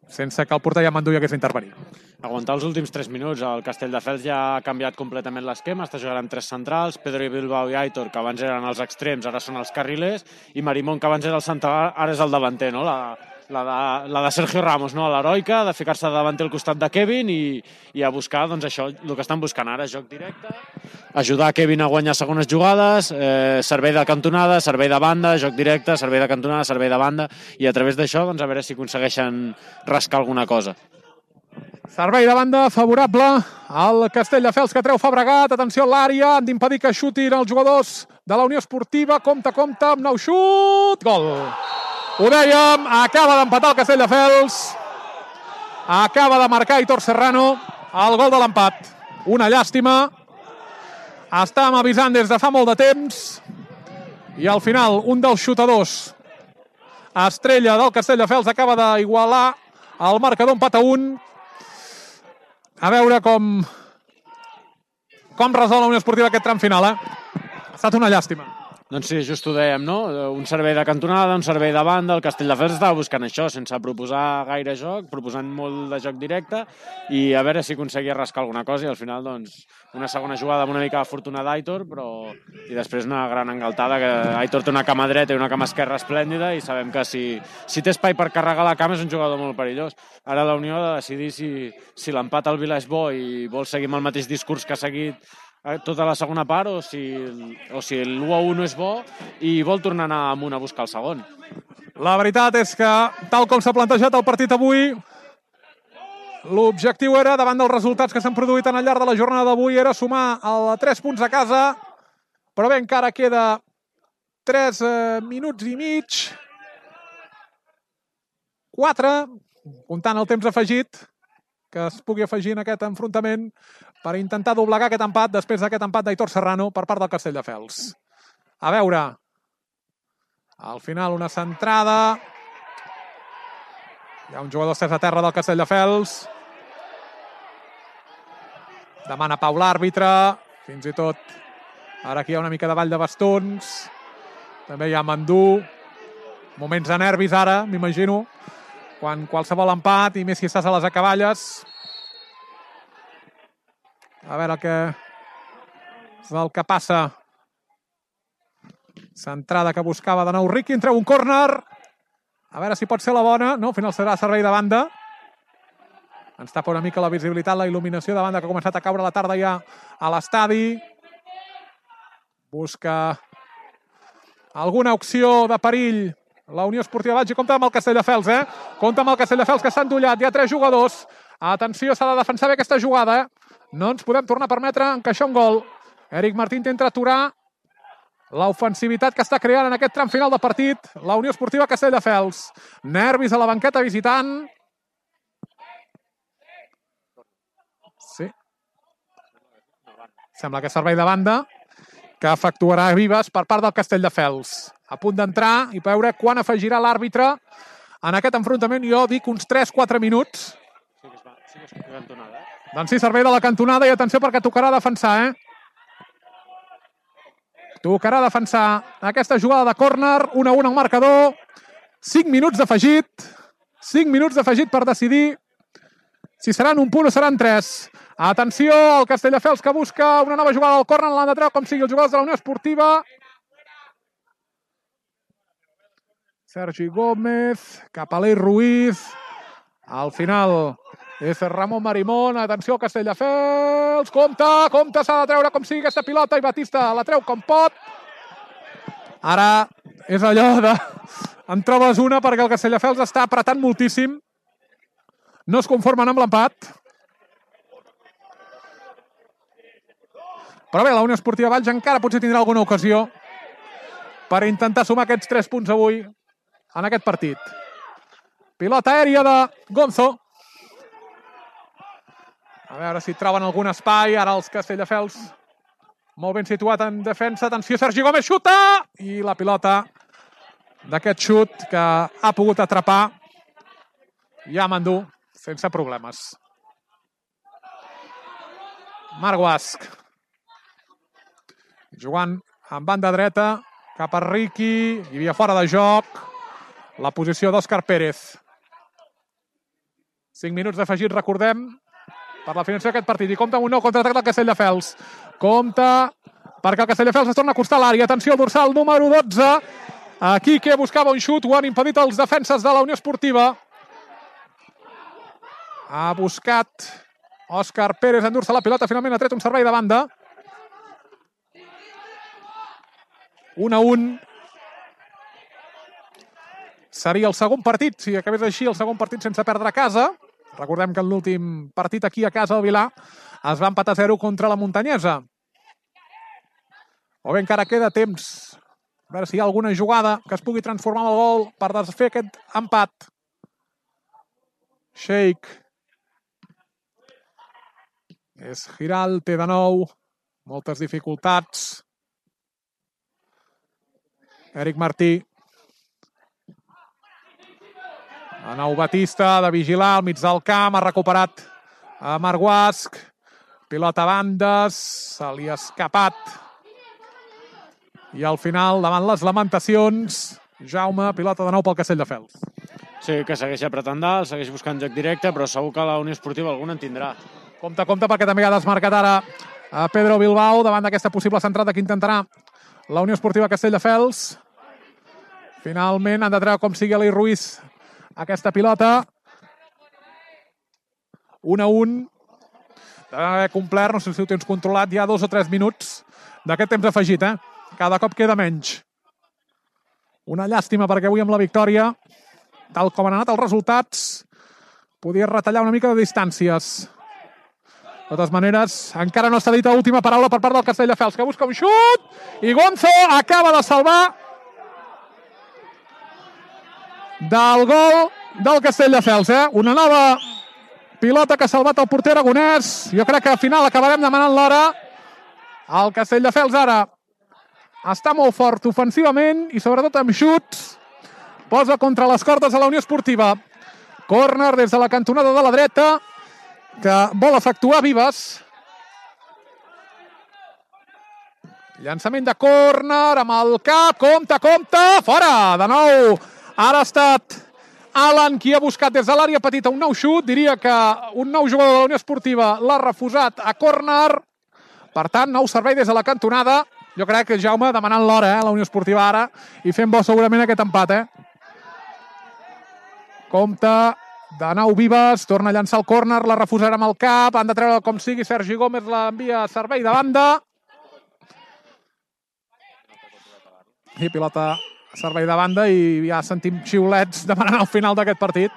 sense que el porter Llamandú hi hagués d'intervenir. Aguantar els últims tres minuts. El Castelldefels ja ha canviat completament l'esquema, està jugant amb tres centrals, Pedro Bilbao i Aitor, que abans eren els extrems, ara són els carrilers, i Marimón, que abans era el central, ara és el davanter, no? La, la, de, la de Sergio Ramos, no? L'heroica, de ficar-se davanter al costat de Kevin i, i a buscar, doncs això, el que estan buscant ara, joc directe, ajudar Kevin a guanyar segones jugades, eh, servei de cantonada, servei de banda, joc directe, servei de cantonada, servei de banda, i a través d'això, doncs a veure si aconsegueixen rascar alguna cosa. Servei de banda favorable al Castelldefels, que treu Fabregat. Atenció a l'àrea, han d'impedir que xutin els jugadors de la Unió Esportiva. Compte, compte, amb nou xut. Gol. Ho dèiem, acaba d'empatar el Castelldefels. Acaba de marcar Aitor Serrano el gol de l'empat. Una llàstima. Estàvem avisant des de fa molt de temps. I al final, un dels xutadors estrella del Castelldefels acaba d'igualar el marcador, empat a un. A veure com com resol la Unió Esportiva aquest tram final, eh? Ha estat una llàstima. Doncs sí, just ho dèiem, no? Un servei de cantonada, un servei de banda, el Castelldefels estava buscant això, sense proposar gaire joc, proposant molt de joc directe, i a veure si aconseguia rascar alguna cosa, i al final, doncs, una segona jugada amb una mica de fortuna d'Aitor, però... i després una gran engaltada, que Aitor té una cama dreta i una cama esquerra esplèndida, i sabem que si, si té espai per carregar la cama és un jugador molt perillós. Ara la Unió ha de decidir si, si l'empat al Vila és bo i vol seguir amb el mateix discurs que ha seguit tota la segona part, o si, o si l'u a u no és bo i vol tornar a anar amunt a buscar el segon. La veritat és que, tal com s'ha plantejat el partit avui, l'objectiu era, davant dels resultats que s'han produït al llarg de la jornada d'avui, era sumar a tres punts a casa, però bé, encara queda tres eh, minuts i mig, quatre, comptant el temps afegit, que es pugui afegir en aquest enfrontament per intentar doblegar aquest empat després d'aquest empat d'Aitor Serrano per part del Castelldefels. A veure, al final una centrada, hi ha un jugador estès a terra del Castelldefels, demana pau l'àrbitre, fins i tot ara aquí hi ha una mica de ball de bastons, també hi ha Mandú, moments de nervis ara, m'imagino, quan qualsevol empat, i més si estàs a les acaballes. A veure què és el que passa. Centrada que buscava de nou Riqui, en treu un córner. A veure si pot ser la bona. No, al final serà servei de banda. Ens tapa una mica la visibilitat, la il·luminació de banda que ha començat a caure la tarda ja a l'estadi. Busca alguna opció de perill la Unió Esportiva Valls, i compta amb el Castelldefels, eh? Compta amb el Castelldefels, que està endollat. Hi ha tres jugadors. Atenció, s'ha de defensar bé aquesta jugada, eh? No ens podem tornar a permetre encaixar un gol. Eric Martín intenta aturar l'ofensivitat que està creant en aquest tram final de partit la Unió Esportiva Castelldefels. Nervis a la banqueta visitant. Sí. Sembla que és servei de banda que efectuarà Vives per part del Castelldefels. A punt d'entrar i veure quan afegirà l'àrbitre en aquest enfrontament. Jo dic uns tres quatre minuts. Sí que es va, sí que es va cantonada, eh? Doncs sí, servei de la cantonada, i atenció perquè tocarà defensar, eh? Tocarà defensar aquesta jugada de córner, un a un al marcador. cinc minuts d'afegit. cinc minuts d'afegit per decidir si seran un punt o seran tres. Atenció, el Castelldefels que busca una nova jugada del córner, l'han de treure com sigui els jugadors de la Unió Esportiva. Sergi Gómez, cap a l'Ei Ruiz. Al final és Ramon Marimón. Atenció al Castelldefels. Compte, compte, s'ha de treure com sigui aquesta pilota, i Batista la treu com pot. Ara és allò de... En trobes una perquè el Castelldefels està apretant moltíssim. No es conformen amb l'empat. Però bé, la Unió Esportiva Valls encara potser tindrà alguna ocasió per intentar sumar aquests tres punts avui en aquest partit. Pilota aèria de Gonzo. A veure si troben algun espai. Ara els Castelldefels molt ben situat en defensa. Atenció, Sergi Gómez xuta! I la pilota d'aquest xut que ha pogut atrapar ja Mandú sense problemes. Marc Guasc. Jugant en banda dreta cap a Riqui. Hi havia fora de joc la posició d'Òscar Pérez. cinc minuts d'afegit, recordem, per la finalització d'aquest partit. I compta amb un nou contraatac del Castelldefels. Compta perquè el Castelldefels es torna a acostar a l'àrea. Atenció al dorsal número dotze. Aquí que buscava un xut, ho han impedit els defenses de la Unió Esportiva. Ha buscat Òscar Pérez endur-se la pilota. Finalment ha tret un servei de banda. un a un. Seria el segon partit, si acabés així, el segon partit sense perdre a casa. Recordem que l'últim partit aquí a casa, al Vilà, es va empatar a zero contra la Muntanyesa. O bé encara queda temps. A veure si hi ha alguna jugada que es pugui transformar en el gol per desfer aquest empat. Sheik. És Giral, té de nou moltes dificultats. Eric Martí. De nou Batista, de vigilar al mig del camp, ha recuperat a Marc Guasc. Pilota a bandes, se li ha escapat I al final, davant les lamentacions, Jaume, pilota de nou pel Castelldefels. Sí, que segueix apretant dalt, segueix buscant joc directe, però segur que la Unió Esportiva alguna en tindrà. Compte, compte, perquè també ha desmarcat ara a Pedro Bilbao davant d'aquesta possible centrada que intentarà la Unió Esportiva Castelldefels. Finalment han de treure com sigui Eli Ruiz aquesta pilota. un a un. Deve haver complert, no sé si ho tens controlat, ja dos o tres minuts d'aquest temps afegit, eh? Cada cop queda menys. Una llàstima perquè avui amb la victòria, tal com han anat els resultats, podia retallar una mica de distàncies. De totes maneres, encara no s'ha dit l'última paraula per part del Castelldefels, que busca un xut i Gonzo acaba de salvar del gol del Castelldefels, eh? Una nova pilota que ha salvat el porter aragonès. Jo crec que al final acabarem demanant l'hora. El Castelldefels ara està molt fort ofensivament i sobretot amb xuts. Posa contra les cordes a la Unió Esportiva. Córner des de la cantonada de la dreta que vol efectuar Vives. Llançament de córner amb el cap. Compte, compte! Fora! De nou ara ha estat Alan qui ha buscat des de l'àrea petita un nou xut. Diria que un nou jugador de la Unió Esportiva l'ha refusat a córner. Per tant, nou servei des de la cantonada. Jo crec que Jaume demanant l'hora, eh, la Unió Esportiva ara, i fent bo segurament aquest empat, eh? Compte, de nou Vives, torna a llançar el córner, la refusarà amb el cap, han de treure com sigui, Sergi Gómez l'envia a servei de banda. I pilota a servei de banda i ja sentim xiulets demanant al final d'aquest partit.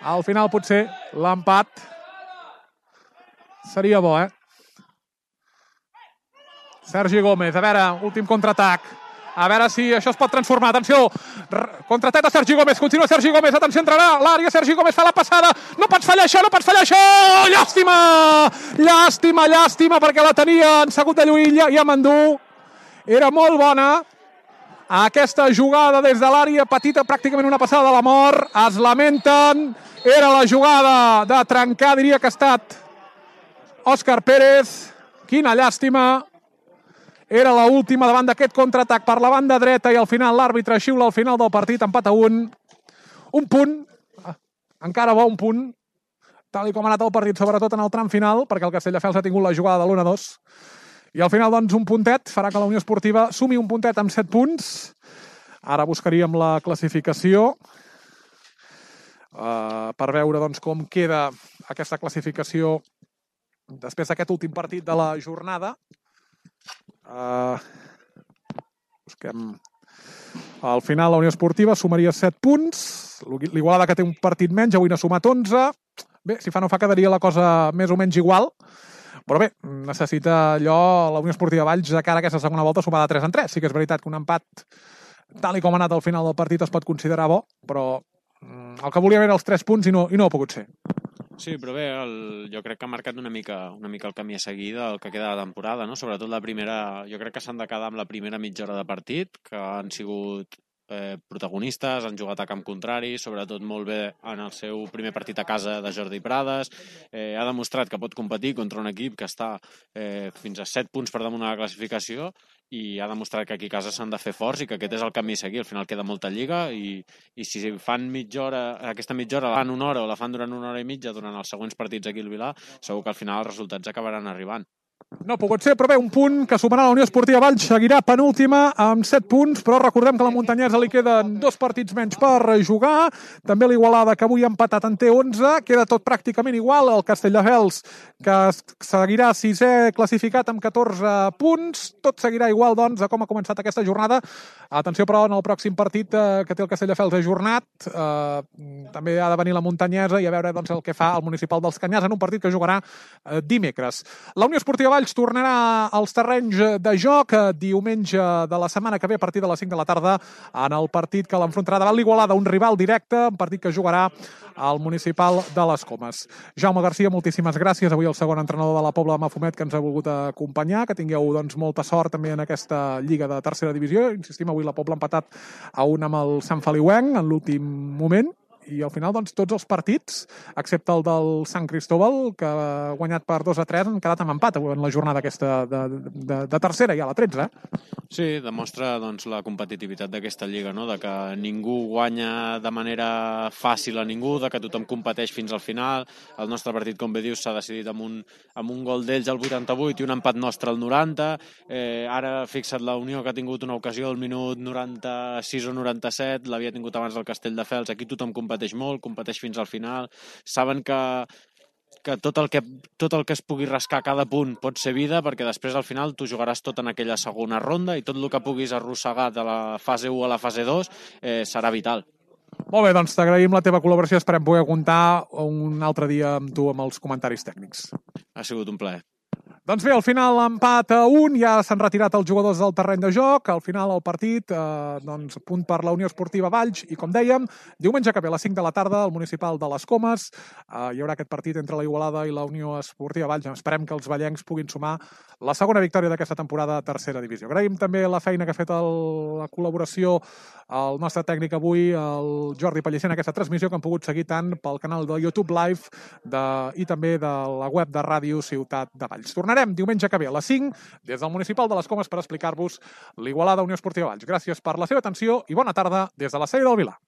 Al final potser l'empat seria bo, eh? Sergi Gómez, a veure, últim contraatac. A veure si això es pot transformar. Atenció, contraatac de Sergi Gómez. Continua Sergi Gómez, atenció, entrarà l'àrea. Sergi Gómez fa la passada. No pots fallar això, no pots fallar això! Llàstima! Llàstima, llàstima, perquè la tenia en segut de lluïlla i amb endú. Era molt bona aquesta jugada des de l'àrea petita, pràcticament una passada de la mort. Es lamenten. Era la jugada de trencar, diria que ha estat Òscar Pérez. Quina llàstima. Era l'última davant d'aquest contraatac per la banda dreta i al final l'àrbitre xiula al final del partit, empat a un. Un punt, encara bo un punt, tal i com ha anat el partit, sobretot en el tram final, perquè el Castelldefels ha tingut la jugada de l'un a dos. I al final, doncs, un puntet farà que la Unió Esportiva sumi un puntet amb set punts. Ara buscaríem la classificació uh, per veure doncs, com queda aquesta classificació després d'aquest últim partit de la jornada. Uh, busquem. Al final la Unió Esportiva sumaria set punts. L'Igualada, que té un partit menys, avui n'ha sumat onze. Bé, si fa no fa quedaria la cosa més o menys igual. Però bé, necessita allò la Unió Esportiva Valls de cara a aquesta segona volta sumar de tres en tres. Sí que és veritat que un empat, tal i com ha anat al final del partit, es pot considerar bo, però el que volia era els tres punts i no, i no ha pogut ser. Sí, però bé, el, jo crec que ha marcat una mica, una mica el camí a seguir del que queda de la temporada, no? Sobretot la primera, jo crec que s'han de quedar amb la primera mitja hora de partit, que han sigut eh, protagonistes, han jugat a camp contrari, sobretot molt bé en el seu primer partit a casa de Jordi Prades, eh, ha demostrat que pot competir contra un equip que està eh, fins a set punts per damunt de la classificació i ha demostrat que aquí a casa s'han de fer forts i que aquest és el camí a seguir. Al final queda molta lliga i, i si fan mitja hora, aquesta mitja hora la fan una hora o la fan durant una hora i mitja durant els següents partits aquí al Vilar, segur que al final els resultats acabaran arribant. No ha pogut ser, però bé, un punt que sumarà la Unió Esportiva Valls, seguirà penúltima amb set punts, però recordem que a la Muntanyesa li queden dos partits menys per jugar, també l'Igualada, que avui ha empatat, en té onze, queda tot pràcticament igual, el Castelldefels, que seguirà sisè classificat amb catorze punts, tot seguirà igual, doncs, a com ha començat aquesta jornada. Atenció, però, en el pròxim partit eh, que té el Castelldefels ajornat, eh, també ha de venir la Muntanyesa i a veure doncs, el que fa el Municipal dels Canyars en un partit que jugarà eh, dimecres. La Unió Esportiva Valls tornarà als terrenys de joc diumenge de la setmana que ve a partir de les cinc de la tarda en el partit que l'enfrontarà davant l'Igualada, un rival directe, un partit que jugarà al Municipal de les Comes. Jaume Garcia, moltíssimes gràcies. Avui el segon entrenador de la Pobla de Mafumet que ens ha volgut acompanyar. Que tingueu doncs, molta sort també en aquesta lliga de tercera divisió. Insistim, avui la Pobla ha empatat a un amb el Sant Feliuenc en l'últim moment. i al final doncs, tots els partits, excepte el del Sant Cristóbal, que ha guanyat per dos a tres, han quedat amb empat en la jornada aquesta de, de, de tercera, ja la tretze. Eh? Sí, demostra doncs, la competitivitat d'aquesta lliga, no? De que ningú guanya de manera fàcil a ningú, de que tothom competeix fins al final. El nostre partit, com bé dius, s'ha decidit amb un, amb un gol d'ells al vuitanta-vuit i un empat nostre al noranta. Eh, ara, fixa't, la Unió, que ha tingut una ocasió al minut noranta-sis o noranta-set, l'havia tingut abans del Castelldefels. Aquí tothom competeix molt, competeix fins al final. Saben que que tot el que, tot el que es pugui rascar a cada punt pot ser vida, perquè després al final tu jugaràs tot en aquella segona ronda i tot el que puguis arrossegar de la fase u a la fase dos eh, serà vital. Molt bé, doncs t'agraïm la teva col·laboració, esperem poder comptar un altre dia amb tu amb els comentaris tècnics. Ha sigut un plaer. Doncs bé, al final empat a un, ja s'han retirat els jugadors del terreny de joc, al final el partit, eh, doncs, punt per la Unió Esportiva Valls, i com dèiem, diumenge que ve a les cinc de la tarda, al municipal de les Comes, eh, hi haurà aquest partit entre la Igualada i la Unió Esportiva Valls. Esperem que els vallencs puguin sumar la segona victòria d'aquesta temporada a tercera divisió. Agraïm també la feina que ha fet el, la col·laboració el nostre tècnic avui, el Jordi Pellicer, en aquesta transmissió que han pogut seguir tant pel canal de YouTube Live de, i també de la web de Ràdio Ciutat de Valls. Tornarem diumenge que ve a les cinc des del municipal de les Comes per explicar-vos l'Igualada Unió Esportiva Valls. Gràcies per la seva atenció i bona tarda des de la seu del Vilar.